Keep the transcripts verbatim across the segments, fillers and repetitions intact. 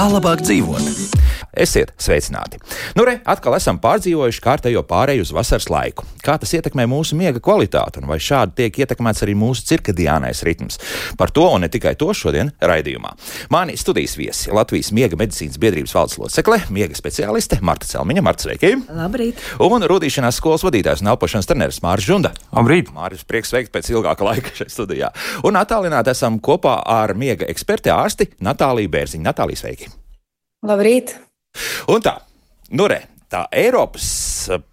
Kā labāk dzīvot? Esiet sveicināti! Nu re, atkal esam pārdzīvojuši kārtējo pāreju uz vasaras laiku. Kā tas ietekmē mūsu miega kvalitāti un vai šādi tiek ietekmēts arī mūsu cirkadiānais ritms? Par to un ne tikai to šodien raidījumā. Mani studijas viesi Latvijas miega medicīnas biedrības valdes locekle, miega speciāliste Marta Celmiņa. Marta, sveiki! Labrīt! Un rudīšanās skolas vadītājs un elpošanas treneris Māris Žunda. Labrīt! Māris, prieks sveikt pēc ilgāka laika šeit studijā. Un attālināti esam kopā ar miega eksperti ārsti Natāliju Bērziņu. Natālija, sveiki! Labrīt! Un tā, nu re, tā Eiropas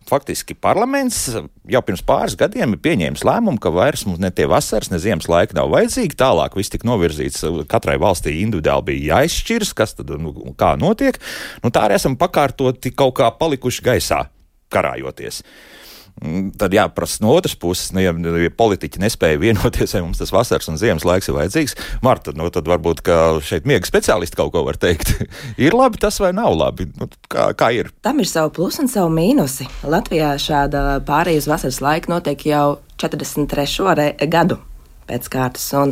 faktiski parlaments jau pirms pāris gadiem ir pieņēmis lēmumu, ka vairs mums ne tie vasaras, ne ziemas laika nav vajadzīgi. Tālāk viss tika novirzīts, katrai valstī individuāli bija jāizšķiras, kas tad, nu, kā notiek. Nu tā arī esam pakārtoti kaut kā palikuši gaisā, karājoties. Tad jāprasa no otras puses, nu, ja, ja politiķi nespēja vienoties, vai mums tas vasaras un ziemas laiks ir vajadzīgs. Marta, nu, tad varbūt, ka šeit miega speciālisti kaut ko var teikt. Ir labi tas vai nav labi? Nu, kā, kā ir? Tam ir savu plusu un savu mīnusi. Latvijā šāda pārēja uz vasaras laiku notiek jau četrdesmit trešo gadu pēc kārtas. Un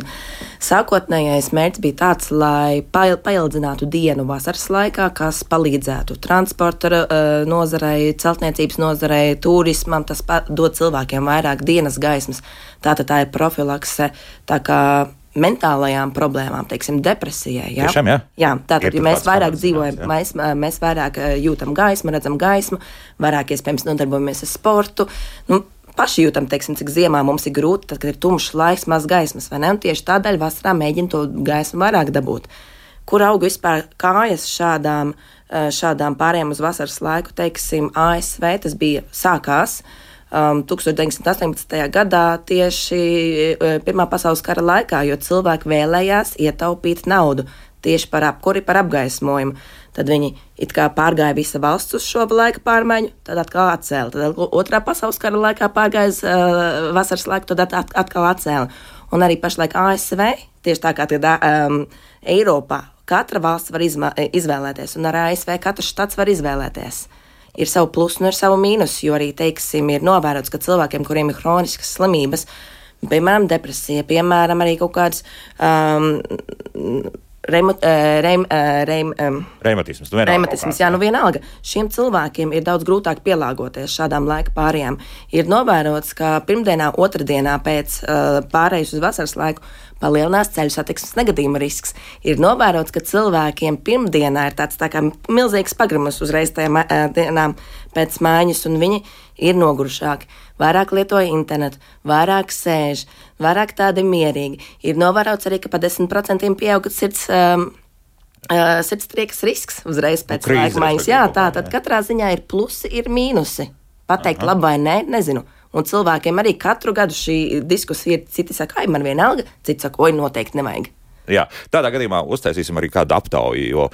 sākotnējais mērķis bija tāds, lai paildzinātu dienu vasaras laikā, kas palīdzētu transporta nozarei, celtniecības nozarei, turismam. Tas dod cilvēkiem vairāk dienas gaismas. Tātad tā ir profilakse, tā kā mentālajām problēmām, teiksim, depresijai. Jā, Tiešām, jā? Jā, tātad, ja mēs vairāk dzīvojam, jā. mēs, mēs vairāk jūtam gaismu, redzam gaismu, vairāk iespējams nodarbojamies ar sportu. Nu, paši jūtam, teiksim, cik ziemā mums ir grūti, tad, kad ir tumšs laiks, maz gaismas, vai ne? Un tieši tādēļ vasarā mēģina to gaismu vairāk dabūt. Kur auga vispār kājas šādām, šādām pārējām uz vasaras laiku, teiksim, A S V, tas bija sākās um, deviņdesmit astoņpadsmitajā gadā tieši Pirmā pasaules kara laikā, jo cilvēki vēlējās ietaupīt naudu tieši par apkuri, par apgaismojumu. Tad viņi it kā pārgāja visa valsts uz šo laika pārmaiņu, tad atkal atcēla. Tad otrā pasaules kara laikā pārgāja uh, vasaras laiku, tad at, atkal atcēla. Un arī pašlaik A S V, tieši tā kā tad, um, Eiropā, katra valsts var izma, izvēlēties, un ar A S V katrs štats var izvēlēties. Ir savu plusu un ir savu mīnusu, jo arī, teiksim, ir novērots, ka cilvēkiem, kuriem ir hroniskas slimības, piemēram, depresija, piemēram, arī kaut kādas um, Reim, reim, reim, Reimatisms, nu reimatisms, jā, nu vienalga. Šiem cilvēkiem ir daudz grūtāk pielāgoties šādām laika pārējām. Ir novērots, ka pirmdienā, otrdienā pēc uh, pārējas uz vasaras laiku palielinās ceļu satiksmes negadījuma risks. Ir novērots, ka cilvēkiem pirmdienā ir tāds tā kā milzīgs pagrimus uzreiz tajām uh, dienām pēc mājas, un viņi ir nogurušāki, vairāk lietoja internetu, vairāk sēž, vairāk tādi mierīgi. Ir novērots arī, ka pa desmit procentiem pieauga sirds, um, uh, sirdstriekas risks uzreiz pēc nu, laika maiņas. Jā, tā tad katrā ziņā ir plusi, ir mīnusi. Pateikt Aha. labi vai nē, nezinu. Un cilvēkiem arī katru gadu šī diskusija ir, citi saka, ai, man vienalga, citi saka, oi, noteikti nevajag. Jā, tādā gadījumā uztaisīsim arī kādu aptauju, jo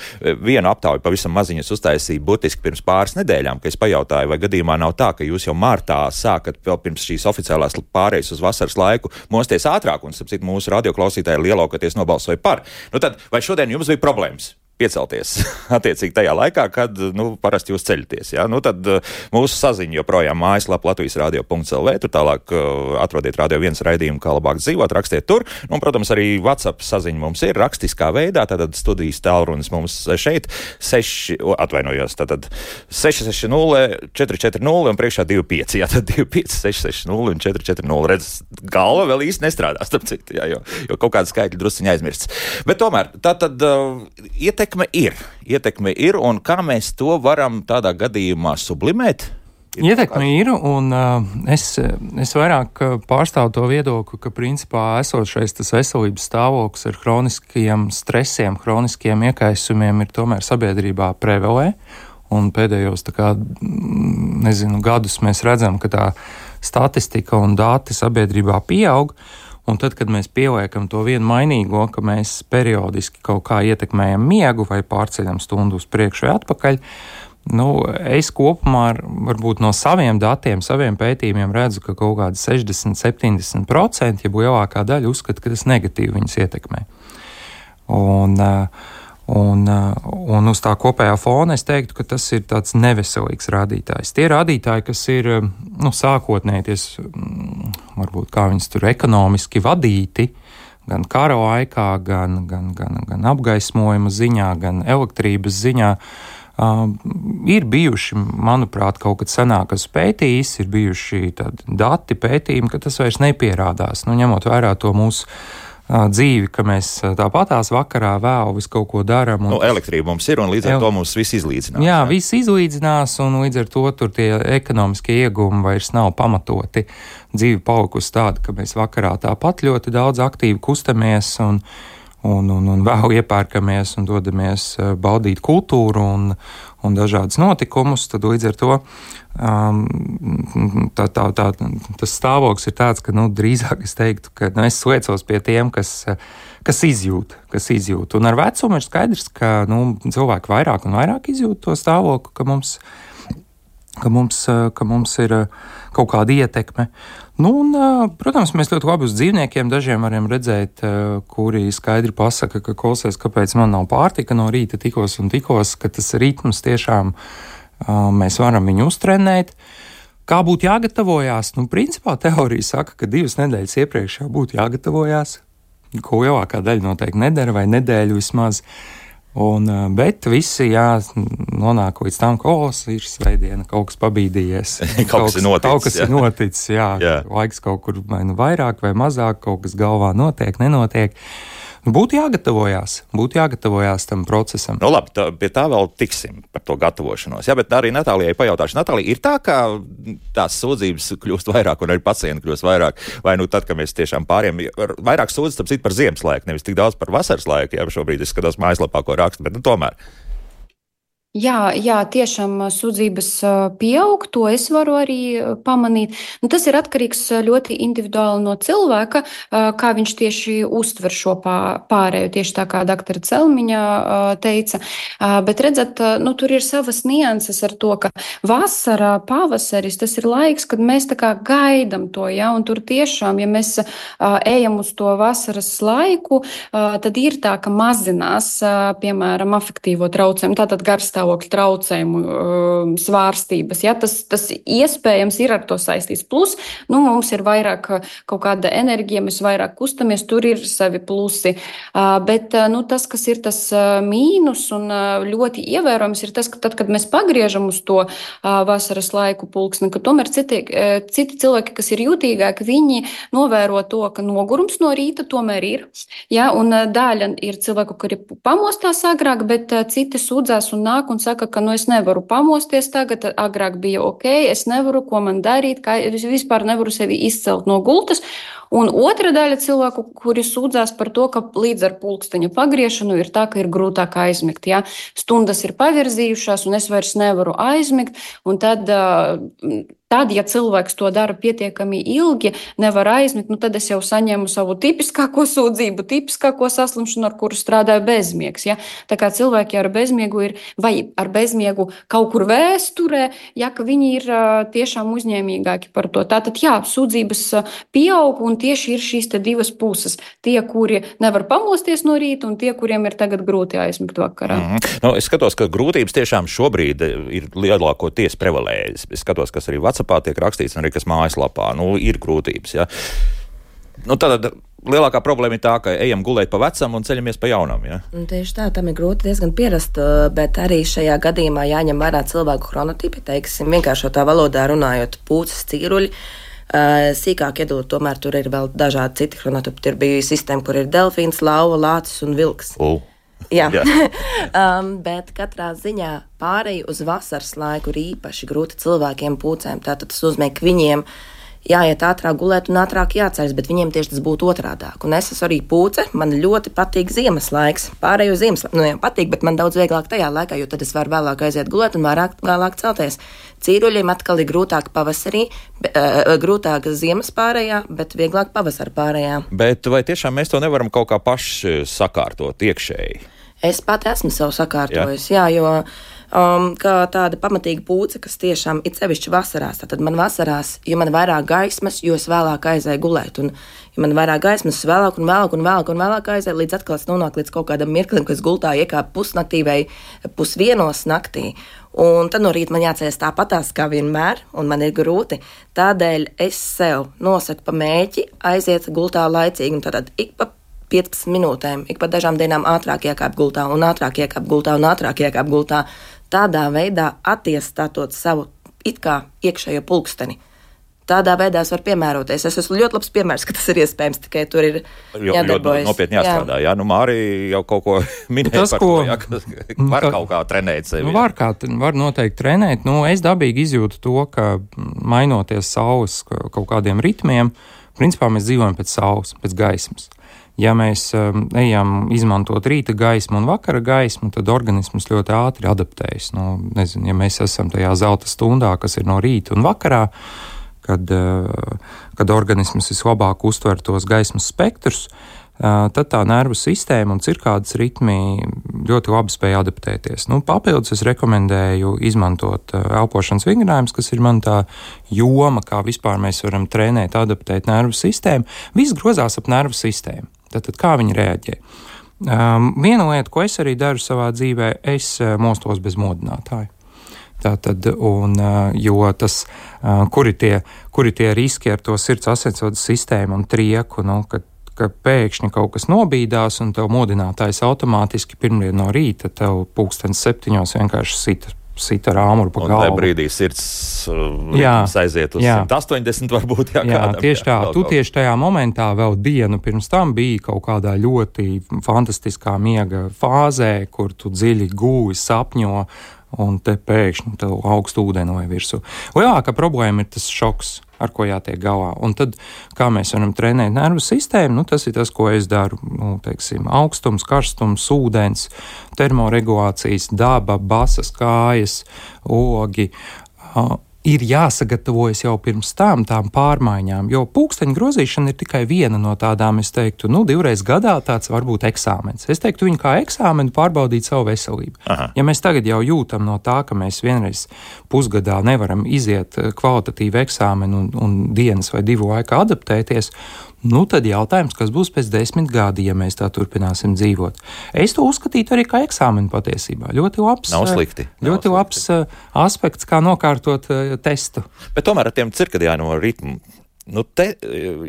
vienu aptauju pavisam maziņas uztaisīja burtiski pirms pāris nedēļām, kad es pajautāju, vai gadījumā nav tā, ka jūs jau martā sākat vēl pirms šīs oficiālās pārējas uz vasaras laiku mosties ātrāk, un, sapcīt, mūsu radioklausītāji lielākoties nobalsoja par. Nu tad, vai šodien jums bija problēmas piecelties attiecīgi tajā laikā, kad, nu, parasti jūs ceļaties, jā? Nu, tad uh, mūsu saziņa joprojām mājaslapa latvijas radio punkts el vē, tur tālāk uh, atrodiet Radio viens raidījumu, kā labāk dzīvot, rakstiet tur, un, protams, arī WhatsApp saziņa mums ir rakstiskā veidā, tātad studijas tālrunis mums šeit, seši, atvainojos, tātad seši seši nulle četri četri nulle un priekšā divi pieci, jā, tad divi pieci seši seši nulle un četri četri nulle, redz, galva vēl īsti nestrādā, starp citu, jā, jo, jo kaut kāda skaitļa drusciņa aizmirsts. Bet tomēr, tā tad uh, iet Ietekme ir, ietekme ir, un kā mēs to varam tādā gadījumā sublimēt? Ir Ietekme ir, un uh, es, es vairāk pārstāvu to viedokli, ka principā esošais tas veselības stāvoklis ar hroniskiem stresiem, hroniskiem iekaisumiem ir tomēr sabiedrībā prevalē, un pēdējos, tā kā, nezinu, gadus mēs redzam, ka tā statistika un dati sabiedrībā pieaug. Un tad, kad mēs pieliekam to vienu mainīgo, ka mēs periodiski kaut kā ietekmējam miegu vai pārceļam stundu uz priekšu vai atpakaļ, nu, es kopumā ar, varbūt no saviem datiem, saviem pētījumiem redzu, ka kaut kādi sešdesmit līdz septiņdesmit procenti, ja lielākā daļa uzskata, ka tas negatīvi viņus ietekmē. Un, un, un uz tā kopējā fona es teiktu, ka tas ir tāds neveselīgs rādītājs. Tie rādītāji, kas ir, nu, sākotnēji, ties, varbūt kā viņas tur ekonomiski vadīti, gan kara laikā, gan, gan, gan, gan apgaismojuma ziņā, gan elektrības ziņā. Uh, ir bijuši, manuprāt, kaut kad senāk, kas pētījis, ir bijuši tādi dati pētījumi, ka tas vairs nepierādās. Nu, ņemot vērā to mūsu uh, dzīvi, ka mēs tāpatās vakarā vēl visu kaut ko darām. Nu, elektrība mums ir, un līdz ar El... to mums viss izlīdzinās. Jā, jā, viss izlīdzinās, un līdz ar to tur tie ekonomiskie iegūmi vairs nav pamatoti. Dzīve palikusi tāda, ka mēs vakarā tāpat ļoti daudz aktīvi kustamies, un Un, un, un vēl iepērkamies un dodamies baudīt kultūru un, un dažādas notikumus, tad līdz ar to um, tā, tā, tā, tas stāvoklis ir tāds, ka nu, drīzāk es teiktu, ka nu, es sliecos pie tiem, kas, kas izjūt, kas izjūt. Un ar vecumu ir skaidrs, ka nu, cilvēki vairāk un vairāk izjūt to stāvokli, ka mums, ka mums, ka mums ir kaut kāda ietekme. Nu, un, protams, mēs ļoti labi uz dzīvniekiem dažiem varam redzēt, kuri skaidri pasaka, ka klausies, kāpēc man nav pārtika no rīta tikos un tikos, ka tas ritms tiešām mēs varam viņu uztrenēt. Kā būtu jāgatavojās? Nu, principā teorija saka, ka divas nedēļas iepriekš jau būtu jāgatavojās, ko lielākā daļa noteikti nedara vai nedēļu vismaz. Un, bet visi, jā, nonāk līdz tam, ka, o, ir svētdiena, kaut kas pabīdījies. kaut kas ir noticis. Kaut kas jā. ir noticis, jā. jā. Laiks kaut kur vai nu vairāk vai mazāk, kaut kas galvā notiek, nenotiek. Nu, būtu jāgatavojās, būtu jāgatavojās tam procesam. Nu, labi, tā, pie tā vēl tiksim par to gatavošanos. Jā, bet arī Natālijai pajautāšu. Natālija, ir tā, ka tās sūdzības kļūst vairāk un arī pacienti kļūst vairāk? Vai nu tad, kad mēs tiešām pāriem, vairāk sūdzas, tāpēc par ziemas laiku, nevis tik daudz par vasaras laiku, jā, šobrīd es skatos mājaslapā, ko rakstu, bet nu tomēr. Jā, jā, tiešām sūdzības pieaug, to es varu arī pamanīt. Nu, tas ir atkarīgs ļoti individuāli no cilvēka, kā viņš tieši uztver šo pārēju, tieši tā kā doktora Celmiņa teica. Bet redzat, nu, tur ir savas nianses ar to, ka vasarā, pavasaris, tas ir laiks, kad mēs tā kā gaidam to, ja, un tur tiešām, ja mēs ejam uz to vasaras laiku, tad ir tā, ka mazinās, piemēram, afektīvo traucējumu, tātad garstāvokļa traucējumu uh, svārstības. Ja? Tas, tas iespējams ir ar to saistīts. Plus, nu, mums ir vairāk kaut kāda enerģija, mēs vairāk kustamies, tur ir savi plusi. Uh, bet uh, nu, tas, kas ir tas uh, mīnus un uh, ļoti ievērojams, ir tas, ka tad, kad mēs pagriežam uz to uh, vasaras laiku pulksni, ka tomēr citi, uh, citi cilvēki, kas ir jūtīgāki, viņi novēro to, ka nogurums no rīta tomēr ir. Ja? Un uh, daļa ir cilvēku, kuri pamostās agrāk, bet uh, citi sūdzās un nāk un saka, ka nu, es nevaru pamosties tagad, agrāk bija ok, es nevaru, ko man darīt, kā es vispār nevaru sevi izcelt no gultas. Un otra daļa cilvēku, kuri sūdzās par to, ka līdz ar pulksteņa pagriešanu ir tā, ka ir grūtāk aizmigt. Ja? Stundas ir pavirzījušās un es vairs nevaru aizmigt, un tad... Tad, ja cilvēks to dara pietiekami ilgi, nevar aizmigt, nu tad es jau saņēmu savu tipiskāko sūdzību, tipiskāko saslimšanu, ar kuru strādāju bezmiegs. Ja? Tā kā cilvēki ar bezmiegu ir, vai ar bezmiegu kaut kur vēsturē, ja, ka viņi ir tiešām uzņēmīgāki par to. Tātad, jā, sūdzības pieaug un tieši ir šīs te divas puses. Tie, kuri nevar pamosties no rīta un tie, kuriem ir tagad grūti aizmigt vakarā. Mm-hmm. Nu, es skatos, ka grūtības tiešām šobrīd ir lielākoties prevalējas. Es skatos, kas arī WhatsAppā tiek rakstīts, un arī kas mājaslapā. Nu, ir grūtības, ja. Nu, tad lielākā problēma ir tā, ka ejam gulēt pa vecam un ceļamies pa jaunam, ja. Un tieši tā, tam ir grūti diezgan pierast, bet arī šajā gadījumā jāņem vērā cilvēku chronotipi, teiksim, vienkāršotā valodā runājot, pūces, cīruļi. Sīkāk iedot, tomēr tur ir vēl dažādi citi chronotipi. Tur bija sistēma, kur ir delfīns, lauva, lācis un vilks. Uh. Jā, um, bet katrā ziņā pārēju uz vasaras laiku ir īpaši grūti cilvēkiem pūcēm. Tātad tas nozīmē, ka viņiem jāiet ātrāk gulēt un ātrāk jāceļas, bet viņiem tieši tas būtu otrādāk. Un es esmu arī pūce, man ļoti patīk ziemas laiks. Pārēju ziemas laiku, nu jā, patīk, bet man daudz vieglāk tajā laikā, jo tad es varu vēlāk aiziet gulēt un vairāk, vēlāk celties. Cīruļiem atkal ir grūtāk pavasarī, uh, grūtāk ziemas pārējā, bet vieglāk pavasara pārējā. Bet vai tiešām mēs to nevaram kaut kā paši sakārtot iekšēji? Es pati esmu sev sakārtojis, jā, jā jo um, kā tāda pamatīga pūce, kas tiešām ir sevišķi vasarās. Tad man vasarās, jo man vairāk gaismas, jo es vēlāk aizēju gulēt. Un, ja man vairāk gaismas, es vēlāk un vēlāk un vēlāk un vēlāk aizēju, līdz atkal es nonāku līdz kaut kādam mirklim, kas gultā iekāp pusnaktī vai pusvienos naktī. Un tad no rīta man jāceļas tāpatās kā vienmēr, un man ir grūti. Tādēļ es sev nosaku pa mēķi aiziet gultā laicīgi, un tātad ik pa piecpadsmit minūtēm, ik pa dažām dienām ātrāk iekāp gultā un ātrāk iekāp gultā un ātrāk iekāp gultā. Tādā veidā attiestātot savu it kā iekšējo pulksteni. Tādā veidā es varu piemēroties. Es esmu ļoti labs piemērs, ka tas ir iespējams, tikai tur ir jādarbojas. Ļoti nopietni jāstrādā, jā. jā. Nu, Māri jau kaut ko minēja tas, par ko, to, jā, ka var kaut kā trenēt sevi. Nu, var, kā, var noteikti trenēt. Nu, es dabīgi izjūtu to, ka mainoties saules kaut kādiem ritmiem, principā mēs dzīvojam pēc saules, pēc gaismas. Ja mēs um, ejam izmantot rīta gaismu un vakara gaismu, tad organisms ļoti ātri adaptējas. Nu, nezinu, ja mēs esam tajā zelta stundā, kas ir no rīta un vakarā, kad, uh, kad organisms vislabāk uztver tos gaismas spektrus, uh, tad tā nervu sistēma un cirkādas ritmi ļoti labi spēj adaptēties. Nu, papildus es rekomendēju izmantot uh, elpošanas vingrinājumus, kas ir man tā joma, kā vispār mēs varam trenēt, adaptēt nervu sistēmu. Viss grozās ap nervu sistēmu. Tātad, kā viņi reaģē? Um, viena lieta, ko es arī daru savā dzīvē, es uh, mostos bez modinātāja. Tātad, un, uh, jo tas, uh, kuri tie, kuri tie riski ar to sirds asinsvadu sistēmu un trieku, nu, kad, ka pēkšņi kaut kas nobīdās un tev modinātājs automātiski pirmdien no rīta tev pulkstens septiņos vienkārši sita. Sita ar āmuru pa galvu. Un tajā brīdī sirds uh, aiziet uz jā. simt astoņdesmit varbūt. Jā, jā kādam, tieši tā. Jā, tu tieši tajā momentā vēl dienu pirms tam biji kaut kādā ļoti fantastiskā miega fāzē, kur tu dziļi gūvi, sapņo, un te pēkšņi tev augstu ūdeni vai virsū. Lielākā problēma ir tas šoks, ar ko jātiek galā. Un tad, kā mēs varam trenēt nervu sistēmu, nu, tas ir tas, ko es daru. Nu, teiksim, augstums, karstums, ūdens, termoregulācijas, daba, basas kājas, ogi. Uh, ir jāsagatavojas jau pirms tam tām pārmaiņām, jo pulksteņa grozīšana ir tikai viena no tādām, es teiktu, nu, divreiz gadā tāds varbūt eksāmens. Es teiktu viņu kā eksāmenu pārbaudīt savu veselību. Aha. Ja mēs tagad jau jūtam no tā, ka mēs vienreiz pusgadā nevaram iziet kvalitatīvu eksāmenu un, un dienas vai divu laikā adaptēties, nu, tad jautājums, kas būs pēc desmit gadi, ja mēs tā turpināsim dzīvot. Es to uzskatītu arī kā eksāmenu patiesībā. Ļoti labs, Nav slikti. Nav ļoti slikti. labs aspekts, kā nokārtot uh, testu. Bet tomēr ar tiem cirkadiāno ritmu, nu te,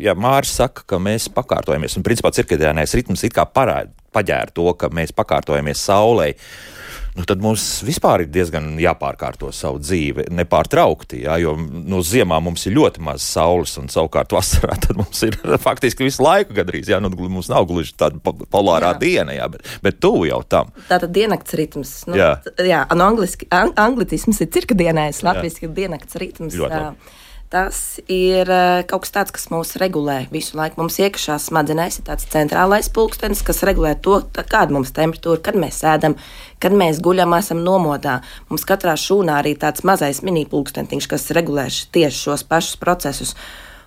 ja Māris saka, ka mēs pakārtojamies, un principā cirkadiānais ritms it kā parāda, paģēra to, ka mēs pakārtojamies saulei, nu, tad mums vispār ir diezgan jāpārkārto savu dzīvi nepārtraukti, jā, jo no ziemā mums ir ļoti maz saules, un savukārt vasarā tad mums ir faktiski visu laiku gadrīz, jā, nu, mums nav gluži tāda polārā jā. diena, jā, bet, bet tuvu jau tam. Tātad diennakts ritms. Nu, jā. jā, un angliski, ang, anglicisms ir cirkadienais, latviski ir diennakts ritms. Ļoti labi. Tas ir kaut kas tāds, kas mūs regulē visu laiku. Mums iekšā smadzenēs ir tāds centrālais pulkstenis, kas regulē to, kāda mums temperatūra, kad mēs ēdam, kad mēs guļam, esam nomodā. Mums katrā šūnā arī tāds mazais mini pulkstentiņš, kas regulē tieši šos pašus procesus.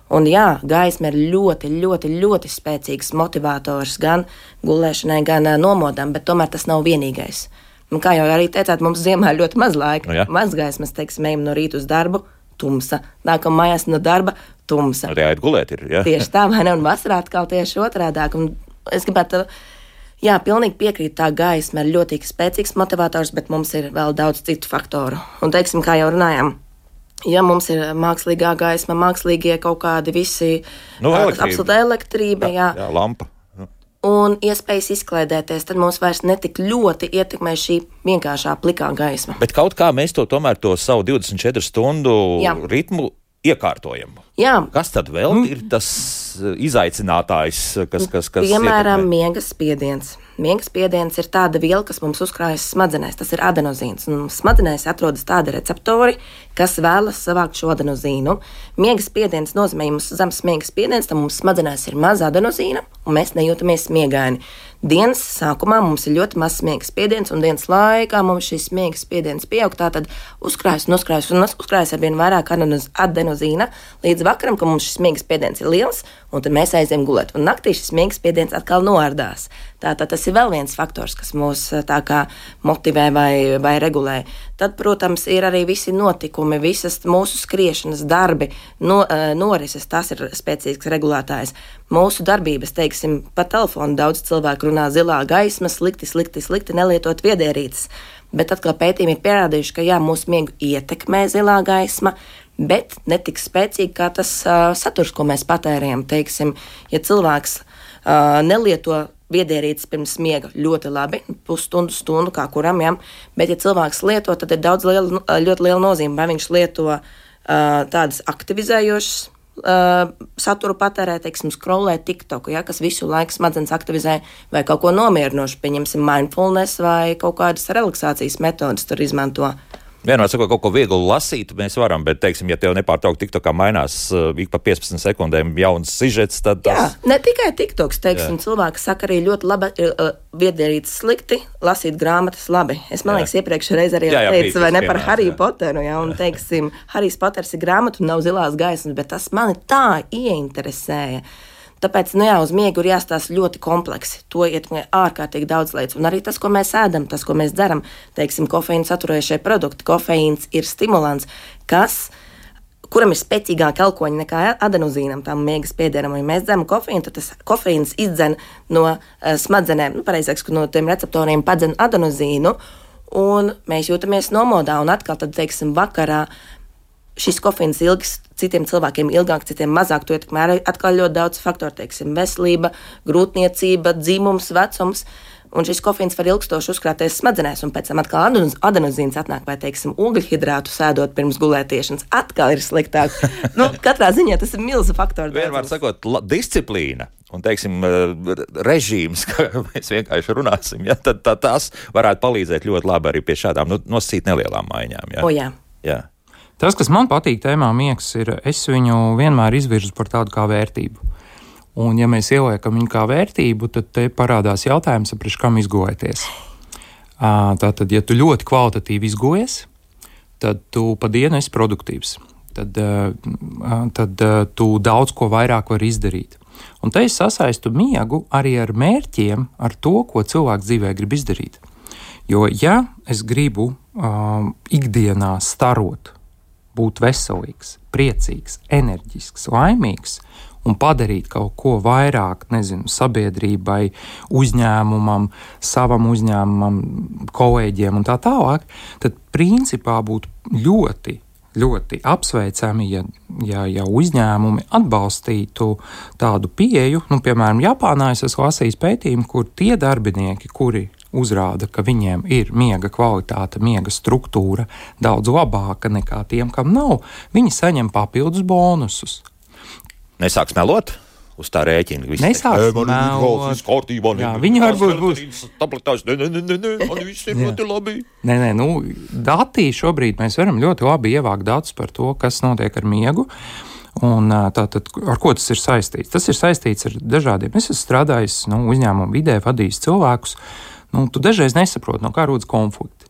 Un jā, gaisma ir ļoti, ļoti, ļoti spēcīgs motivators gan gulēšanai, gan nomodam, bet tomēr tas nav vienīgais. Un kā jau arī teicāt, mums ziemā ir ļoti maz laika, no, maz gaismas, teiksim, ejam no rīta uz darbu, tumsa. Nākam mājās no darba, tumsa. Arī jāiet gulēt ir, jā. Tieši tā, vai ne? Un vasarā atkal tieši otrādāk. Un es gribētu, jā, pilnīgi piekrīt, tā gaisma ir ļoti spēcīgs motivators, bet mums ir vēl daudz citu faktoru. Un, teiksim, kā jau runājām, ja mums ir mākslīgā gaisma, mākslīgie kaut kādi visi, nu, elektrība. absolūta elektrība, jā. Jā, lampa. Un iespējas izklaidēties, tad mums vairs netik ļoti ietekmē šī vienkāršā plikā gaisma. Bet kaut kā mēs to tomēr to savu divdesmit četru stundu Jā. ritmu iekārtojam. Jā. Kas tad vēl mm. ir tas izaicinātājs, kas, kas, kas Piemēram, ietekmē? miega spiediens. Miega spiediens ir tāda viela, kas mums uzkrājas smadzenēs. Tas ir adenozīns. Un smadzenēs atrodas tādi receptori, kas vēlas savākt šo adenozīnu. Miega spiediens nozīmē, ja mums zemes miega spiediens, tad mums smadzenēs ir maz adenozīna, un mēs nejūtamies miegaini. Dienas sākumā mums ir ļoti mazs miega spiediens, un dienas laikā mums šis miega spiediens pieaug. Tātad uzkrājas un uzkrājas un uzkrājas ar vien vairāk adenozīna līdz vakaram, ka mums šis miega spiediens ir liels, un tad mēs aizējam gulēt. Un naktī šis miega spiediens atkal noārdās. Tātad tas ir vēl viens faktors, kas mūs tā kā motivē vai, vai regulē. Tad, protams, ir arī visi notikumi, visas mūsu skriešanas darbi, no, norises, tas ir spēcīgs regulētājs. Mūsu darbības, teiksim, pa telefonu daudz cilvēku runā zilā gaisma, slikti, slikti, slikti, nelietot viedierīces. Bet atkal pētījumi ir pierādījuši, ka jā, mūsu miegu ietekmē zilā gaisma, bet ne tik spēcīgi kā tas uh, saturs, ko mēs patērējam. Teiksim, ja cilvēks uh, nelieto viedierīces pirms miega, ļoti labi, pusstundu, stundu, kā kuram, ja? Bet ja cilvēks lieto, tad ir daudz liela, ļoti liela nozīme, vai viņš lieto uh, tādas aktivizējošas uh, saturu patērē, teiksim, scrollē TikToku, ja? Kas visu laiku smadzenes aktivizē, vai kaut ko nomierinošu, pieņemsim mindfulness vai kaut kādas relaksācijas metodas tur izmanto. Vienmēr sakot, kaut ko viegli lasīt, mēs varam, bet, teiksim, ja tev nepārtraukti TikTokā mainās uh, ik pa piecpadsmit sekundēm jauns sižets, tad tas... Jā, ne tikai TikToks, teiksim, jā. Cilvēki saka arī ļoti labi, uh, viedierīces slikti, lasīt grāmatas labi. Es, man jā. liekas, iepriekš reiz arī jā, jā, teicu, vai ne par Hariju Poteru, jā, un, teiksim, Harijs Poters ir grāmatu, nav zilās gaismas, bet tas mani tā ieinteresēja. Tāpēc, nu jā, uz miegu ir jāstāsta ļoti kompleksi. To ietekmē ārkārtīgi daudz lietas. Un arī tas, ko mēs ēdam, tas, ko mēs dzeram, teiksim, kofeīnu saturējušie produkti. Kofeīns ir stimulants, kas, kuram ir spēcīgāki elkoņi nekā adenozīnam, tam miegas piederam. Ja mēs dzeram kofeīnu, tad tas kofeīns izdzen no uh, smadzenēm, nu, pareizāk, no tiem receptoriem padzen adenozīnu, un mēs jūtamies nomodā. Un atkal, tad, teiksim, vakarā šis kofeīns ilgs, citiem cilvēkiem ilgāk, citiem mazāk, to ietekmē arī atkal ļoti daudz faktoru, teiksim, veselība, grūtniecība, dzimums, vecums, un šis kofeīns var ilgstoši uzkrāties smadzenēs, un pēc tam atkal adenozīns atnāk, vai, teiksim, ogļhidrātu sēdot pirms gulētiešanas, atkal ir sliktāk. Nu, katrā ziņā tas ir milzu faktoru. Vienmēr sakot, la, disciplīna un, teiksim, režīms, kā mēs vienkārši runāsim, ja, tad tā, tās varētu palīdzēt ļoti labi arī pie šādām nu, nosacīt nelielām maiņām. Ja. O, jā. Jā. Tas, kas man patīk tēmā miegs, ir, es viņu vienmēr izvirzu par tādu kā vērtību. Un, ja mēs ieliekam viņu kā vērtību, tad te parādās jautājums, priekš kam izgojoties. Tātad, ja tu ļoti kvalitatīvi izgojies, tad tu pa dienu esi produktīvs. Tad, tad tu daudz ko vairāk vari izdarīt. Un te es sasaistu miegu arī ar mērķiem, ar to, ko cilvēks dzīvē grib izdarīt. Jo, ja es gribu um, ikdienā starot, būt veselīgs, priecīgs, enerģisks, laimīgs un padarīt kaut ko vairāk, nezinu, sabiedrībai, uzņēmumam, savam uzņēmumam, kolēģiem un tā tālāk, tad principā būtu ļoti, ļoti apsveicami, ja, ja, ja uzņēmumi atbalstītu tādu pieeju. Nu, piemēram, Japānā es esmu lasījis pētījumu, kur tie darbinieki, kuri uzrāda, ka viņiem ir miega kvalitāte, miega struktūra daudz labāka nekā tiem, kam nav, viņi saņem papildus bonusus. Nesāks melot uz tā rēķina? Nesāks melot. Kārtībā, jā, viņi varbūt būs. Tabletās, ne, ne, ne, ne, man viss ir ļoti labi. Nē, nē, nu, datī šobrīd mēs varam ļoti labi ievākt datus par to, kas notiek ar miegu. Un tātad, ar ko tas ir saistīts? Tas ir saistīts ar dažādiem. Es esmu strādājis nu, uzņēmumu vidē, vadījis cilvēkus. Nu, tu dažreiz nesaproti, no kā rodas konflikti.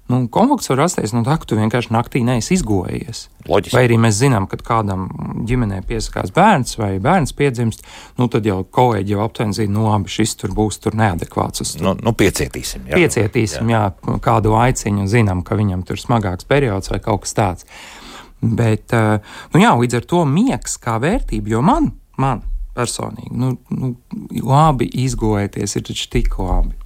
Nu, konflikts var rasties no tā, ka tu vienkārši naktī neesi izgojies. Loģiski. Vai arī mēs zinām, kad kādam ģimenē piesakās bērns vai bērns piedzimst, nu tad jau kolēģi jau aptuveni zina, nu labi, šis tur būs tur neadekvāts. Uz nu, nu piecietīsim. Jā. Piecietīsim, jā. jā, kādu aiciņu zinām, ka viņam tur smagāks periods vai kaut kas tāds. Bet, nu jā, līdz ar to miegs kā vērtība, jo man, man personīgi, nu, nu labi izgojieties ir taču tik labi.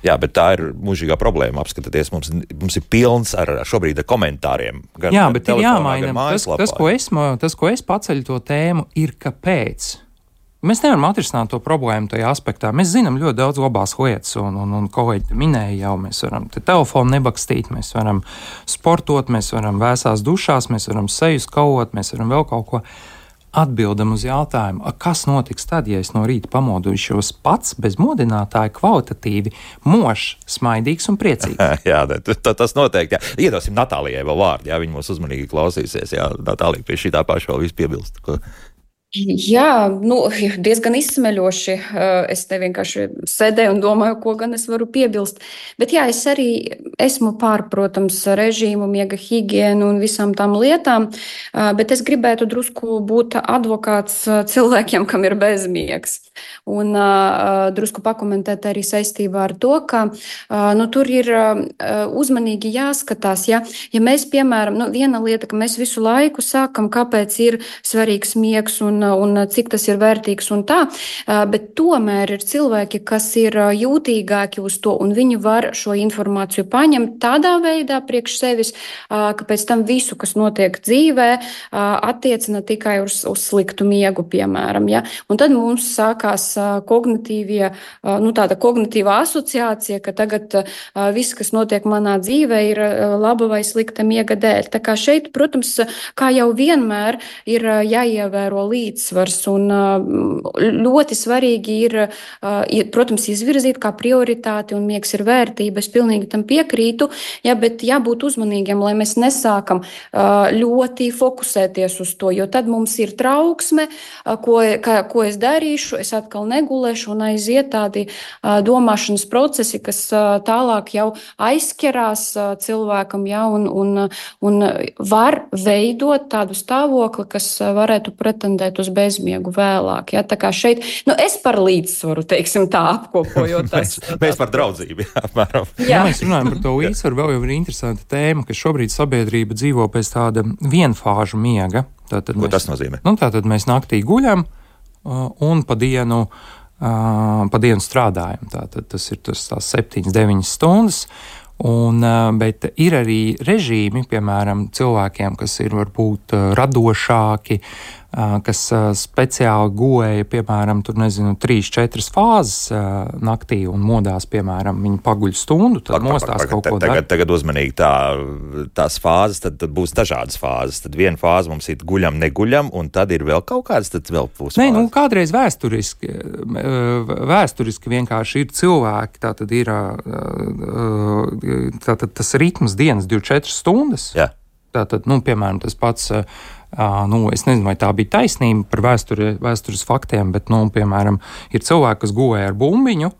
Jā, bet tā ir mūžīgā problēma. Apskatieties, mums, mums ir pilns ar šobrīd ar komentāriem. Gan, jā, gan bet ir jāmaina. Tas, tas, ko es, tas, ko es paceļu to tēmu, ir kāpēc. Mēs nevaram atrisināt to problēmu tajā aspektā. Mēs zinām ļoti daudz labās lietas, un, un, un kolēģi minēja jau, mēs varam te telefonu nebakstīt, mēs varam sportot, mēs varam vēsās dušās, mēs varam seju skaut, mēs varam vēl kaut ko. Atbildam uz jautājumu, kas notiks tad, ja es no rīta pamodušos pats bez modinātāja kvalitatīvi mošs, smaidīgs un priecīgs. Jā, tas noteikti. Jā. Iedosim Natālijai vēl vārdu, jā, viņa mūs uzmanīgi klausīsies. Jā, Natālija pie šī tā paša vēl visu piebilst. Ko... Jā, nu, diezgan izsmeļoši. Es te vienkārši sēdēju un domāju, ko gan es varu piebilst. Bet jā, es arī esmu pār, protams, režīmu, miega higienu un visām tām lietām, bet es gribētu drusku būt advokāts cilvēkiem, kam ir bezmiegs. Un uh, drusku pakomentēt arī saistībā ar to, ka uh, nu, tur ir uh, uzmanīgi jāskatās. Ja, ja mēs, piemēram, nu, viena lieta, ka mēs visu laiku sākam, kāpēc ir svarīgs miegs un un cik tas ir vērtīgs un tā, bet tomēr ir cilvēki, kas ir jūtīgāki uz to, un viņi var šo informāciju paņemt tādā veidā priekš sevis, ka pēc tam visu, kas notiek dzīvē, attiecina tikai uz, uz sliktu miegu, piemēram. Ja? Un tad mums sākās kognitīvie, nu tāda kognitīvā asociācija, ka tagad viss, kas notiek manā dzīvē, ir laba vai slikta miega dēļ. Tā kā šeit, protams, kā jau vienmēr, ir jāievēro līdzsvars, un ļoti svarīgi ir, protams, izvirzīt kā prioritāti, un miegs ir vērtība, es pilnīgi tam piekrītu, ja, bet jābūt uzmanīgiem, lai mēs nesākam ļoti fokusēties uz to, jo tad mums ir trauksme, ko, ka, ko es darīšu, es atkal negulēšu un aiziet tādi domāšanas procesi, kas tālāk jau aizķerās cilvēkam, ja, un, un, un var veidot tādu stāvokli, kas varētu pretendēt uz bezmiegu vēlāk. Ja. Tā kā šeit, nu es par līdzsvaru, teiksim tā, apkopojot. mēs, mēs par draudzību, jā, apmēram. Jā. Ja mēs runājam par to līdzsvaru, vēl jau ir interesanta tēma, ka šobrīd sabiedrība dzīvo pēc tāda vienfāžu miega. Tātad Ko mēs, tas nozīmē? Nu, tātad mēs naktī guļam uh, un pa dienu, uh, pa dienu strādājam. Tātad tas ir tas tās septiņas, deviņas stundas. Un, uh, bet ir arī režīmi, piemēram, cilvēkiem, kas ir varbūt uh, radošāki, uh, kas uh, speciāli gulēja, piemēram, tur nezinu, trīs, četras fāzes uh, naktī un modās, piemēram, viņi paguļ stundu, tad Pag, mostās pag, kaut ko tagad, dar. tagad uzmanīgi tā, tās fāzes, tad, tad būs dažādas fāzes. Tad viena fāze mums ir guļam, neguļam, un tad ir vēl kaut kādas, tad vēl būs Nē, fāzes. nu, kādreiz vēsturiski, vēsturiski vienkārši ir cilvēki, tā tad ir tā tad tas ritms dienas divdesmit četras stundas. Jā. Tātad, nu, piemēram, tas pats, nu, es nezinu, vai tā bija taisnība par vēsturi, vēstures faktiem, bet, nu, piemēram, ir cilvēki, kas gulēja ar bumbiņu,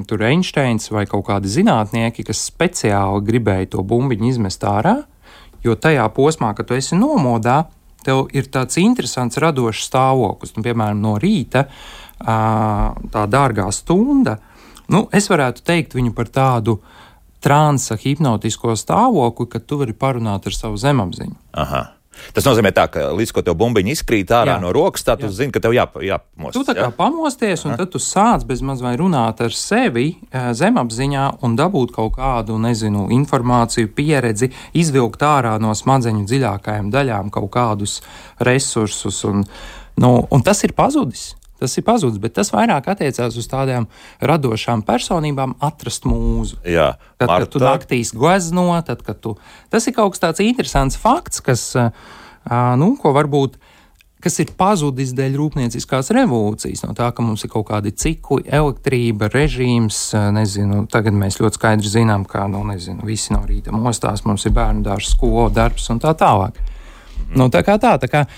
tur Einsteins vai kaut kādi zinātnieki, kas speciāli gribēja to bumbiņu izmest ārā, jo tajā posmā, kad tu esi nomodā, tev ir tāds interesants radošs stāvoklis. Nu, piemēram, no rīta tā dārgā stunda, nu, es varētu teikt viņu par tādu transa hipnotisko stāvokli, kad tu vari parunāt ar savu zemapziņu. Aha. Tas nozīmē tā, ka līdz ko tev bumbiņa izkrīt ārā jā. no rokas, tā tu jā. zini, ka tev jā, jāpamostas. Tu tā kā jā? pamosties, un Aha. tad tu sāc bez maz vai runāt ar sevi zemapziņā un dabūt kaut kādu, nezinu, informāciju, pieredzi, izvilkt ārā no smadzeņu dziļākajām daļām kaut kādus resursus, un, nu, un tas ir pazudis. Tas ir pazudis, bet tas vairāk attiecās uz tādām radošām personībām atrast mūzu. Jā, tad, Marta. kad tu naktīs glezno, tad, kad tu... Tas ir kaut kas tāds interesants fakts, kas, nu, ko varbūt, kas ir pazudis dēļ rūpnieciskās revolūcijas, no tā, ka mums ir kaut kādi cikli, elektrība, režīms, nezinu, tagad mēs ļoti skaidri zinām, kā, nu, nezinu, visi no rīta mostās, mums ir bērnu dārzs, skola, darbs un tā tālāk. Mm. Nu, tā kā tā, tā kā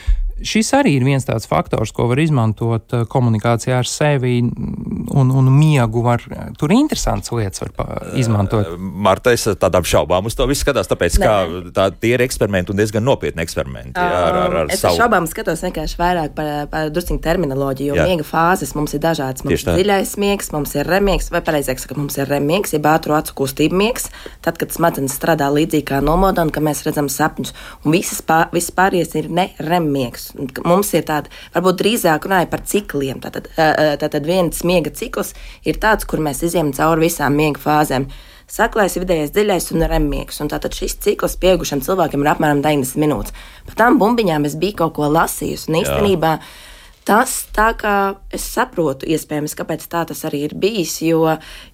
šis arī ir viens tāds faktors, ko var izmantot komunikācijā ar sevi, un, un miegu var, tur interesants lietas var izmantot. Marta, es tādām šaubām uz to visu skatās, tāpēc, Nē. ka tā, tie ir eksperimenti un diezgan nopietni eksperimenti. Jā, ar, ar, ar es savu... šaubām skatos vienkārši vairāk par, par drusciņu terminoloģiju, jo jā. miega fāzes mums ir dažādas. Mums ir dziļais miegs, mums ir remiegs, vai pareizāk sakot, mums ir remiegs, jeb ātru acu kustību miegs, tad, kad smadzenes strādā līdzīgi kā nomodā un ka mēs redzam sapņus. Un visas, pār, visas pārējais ir ne remmiegs. Mums ir tāda, varbūt drīzāk runāja par cikliem. Tātad, tātad viens miega cikls ir tāds, kur mēs izjām cauri visām miega fāzēm. Saklais, vidējais, dziļais un remmiegs. Un tātad šis cikls pieaugušiem cilvēkiem ir apmēram deviņdesmit minūtes. Par tām bumbiņām es biju kaut ko lasījusi. Un īstenībā tas tā kā es saprotu, iespējams, kāpēc tā tas arī ir bijis, jo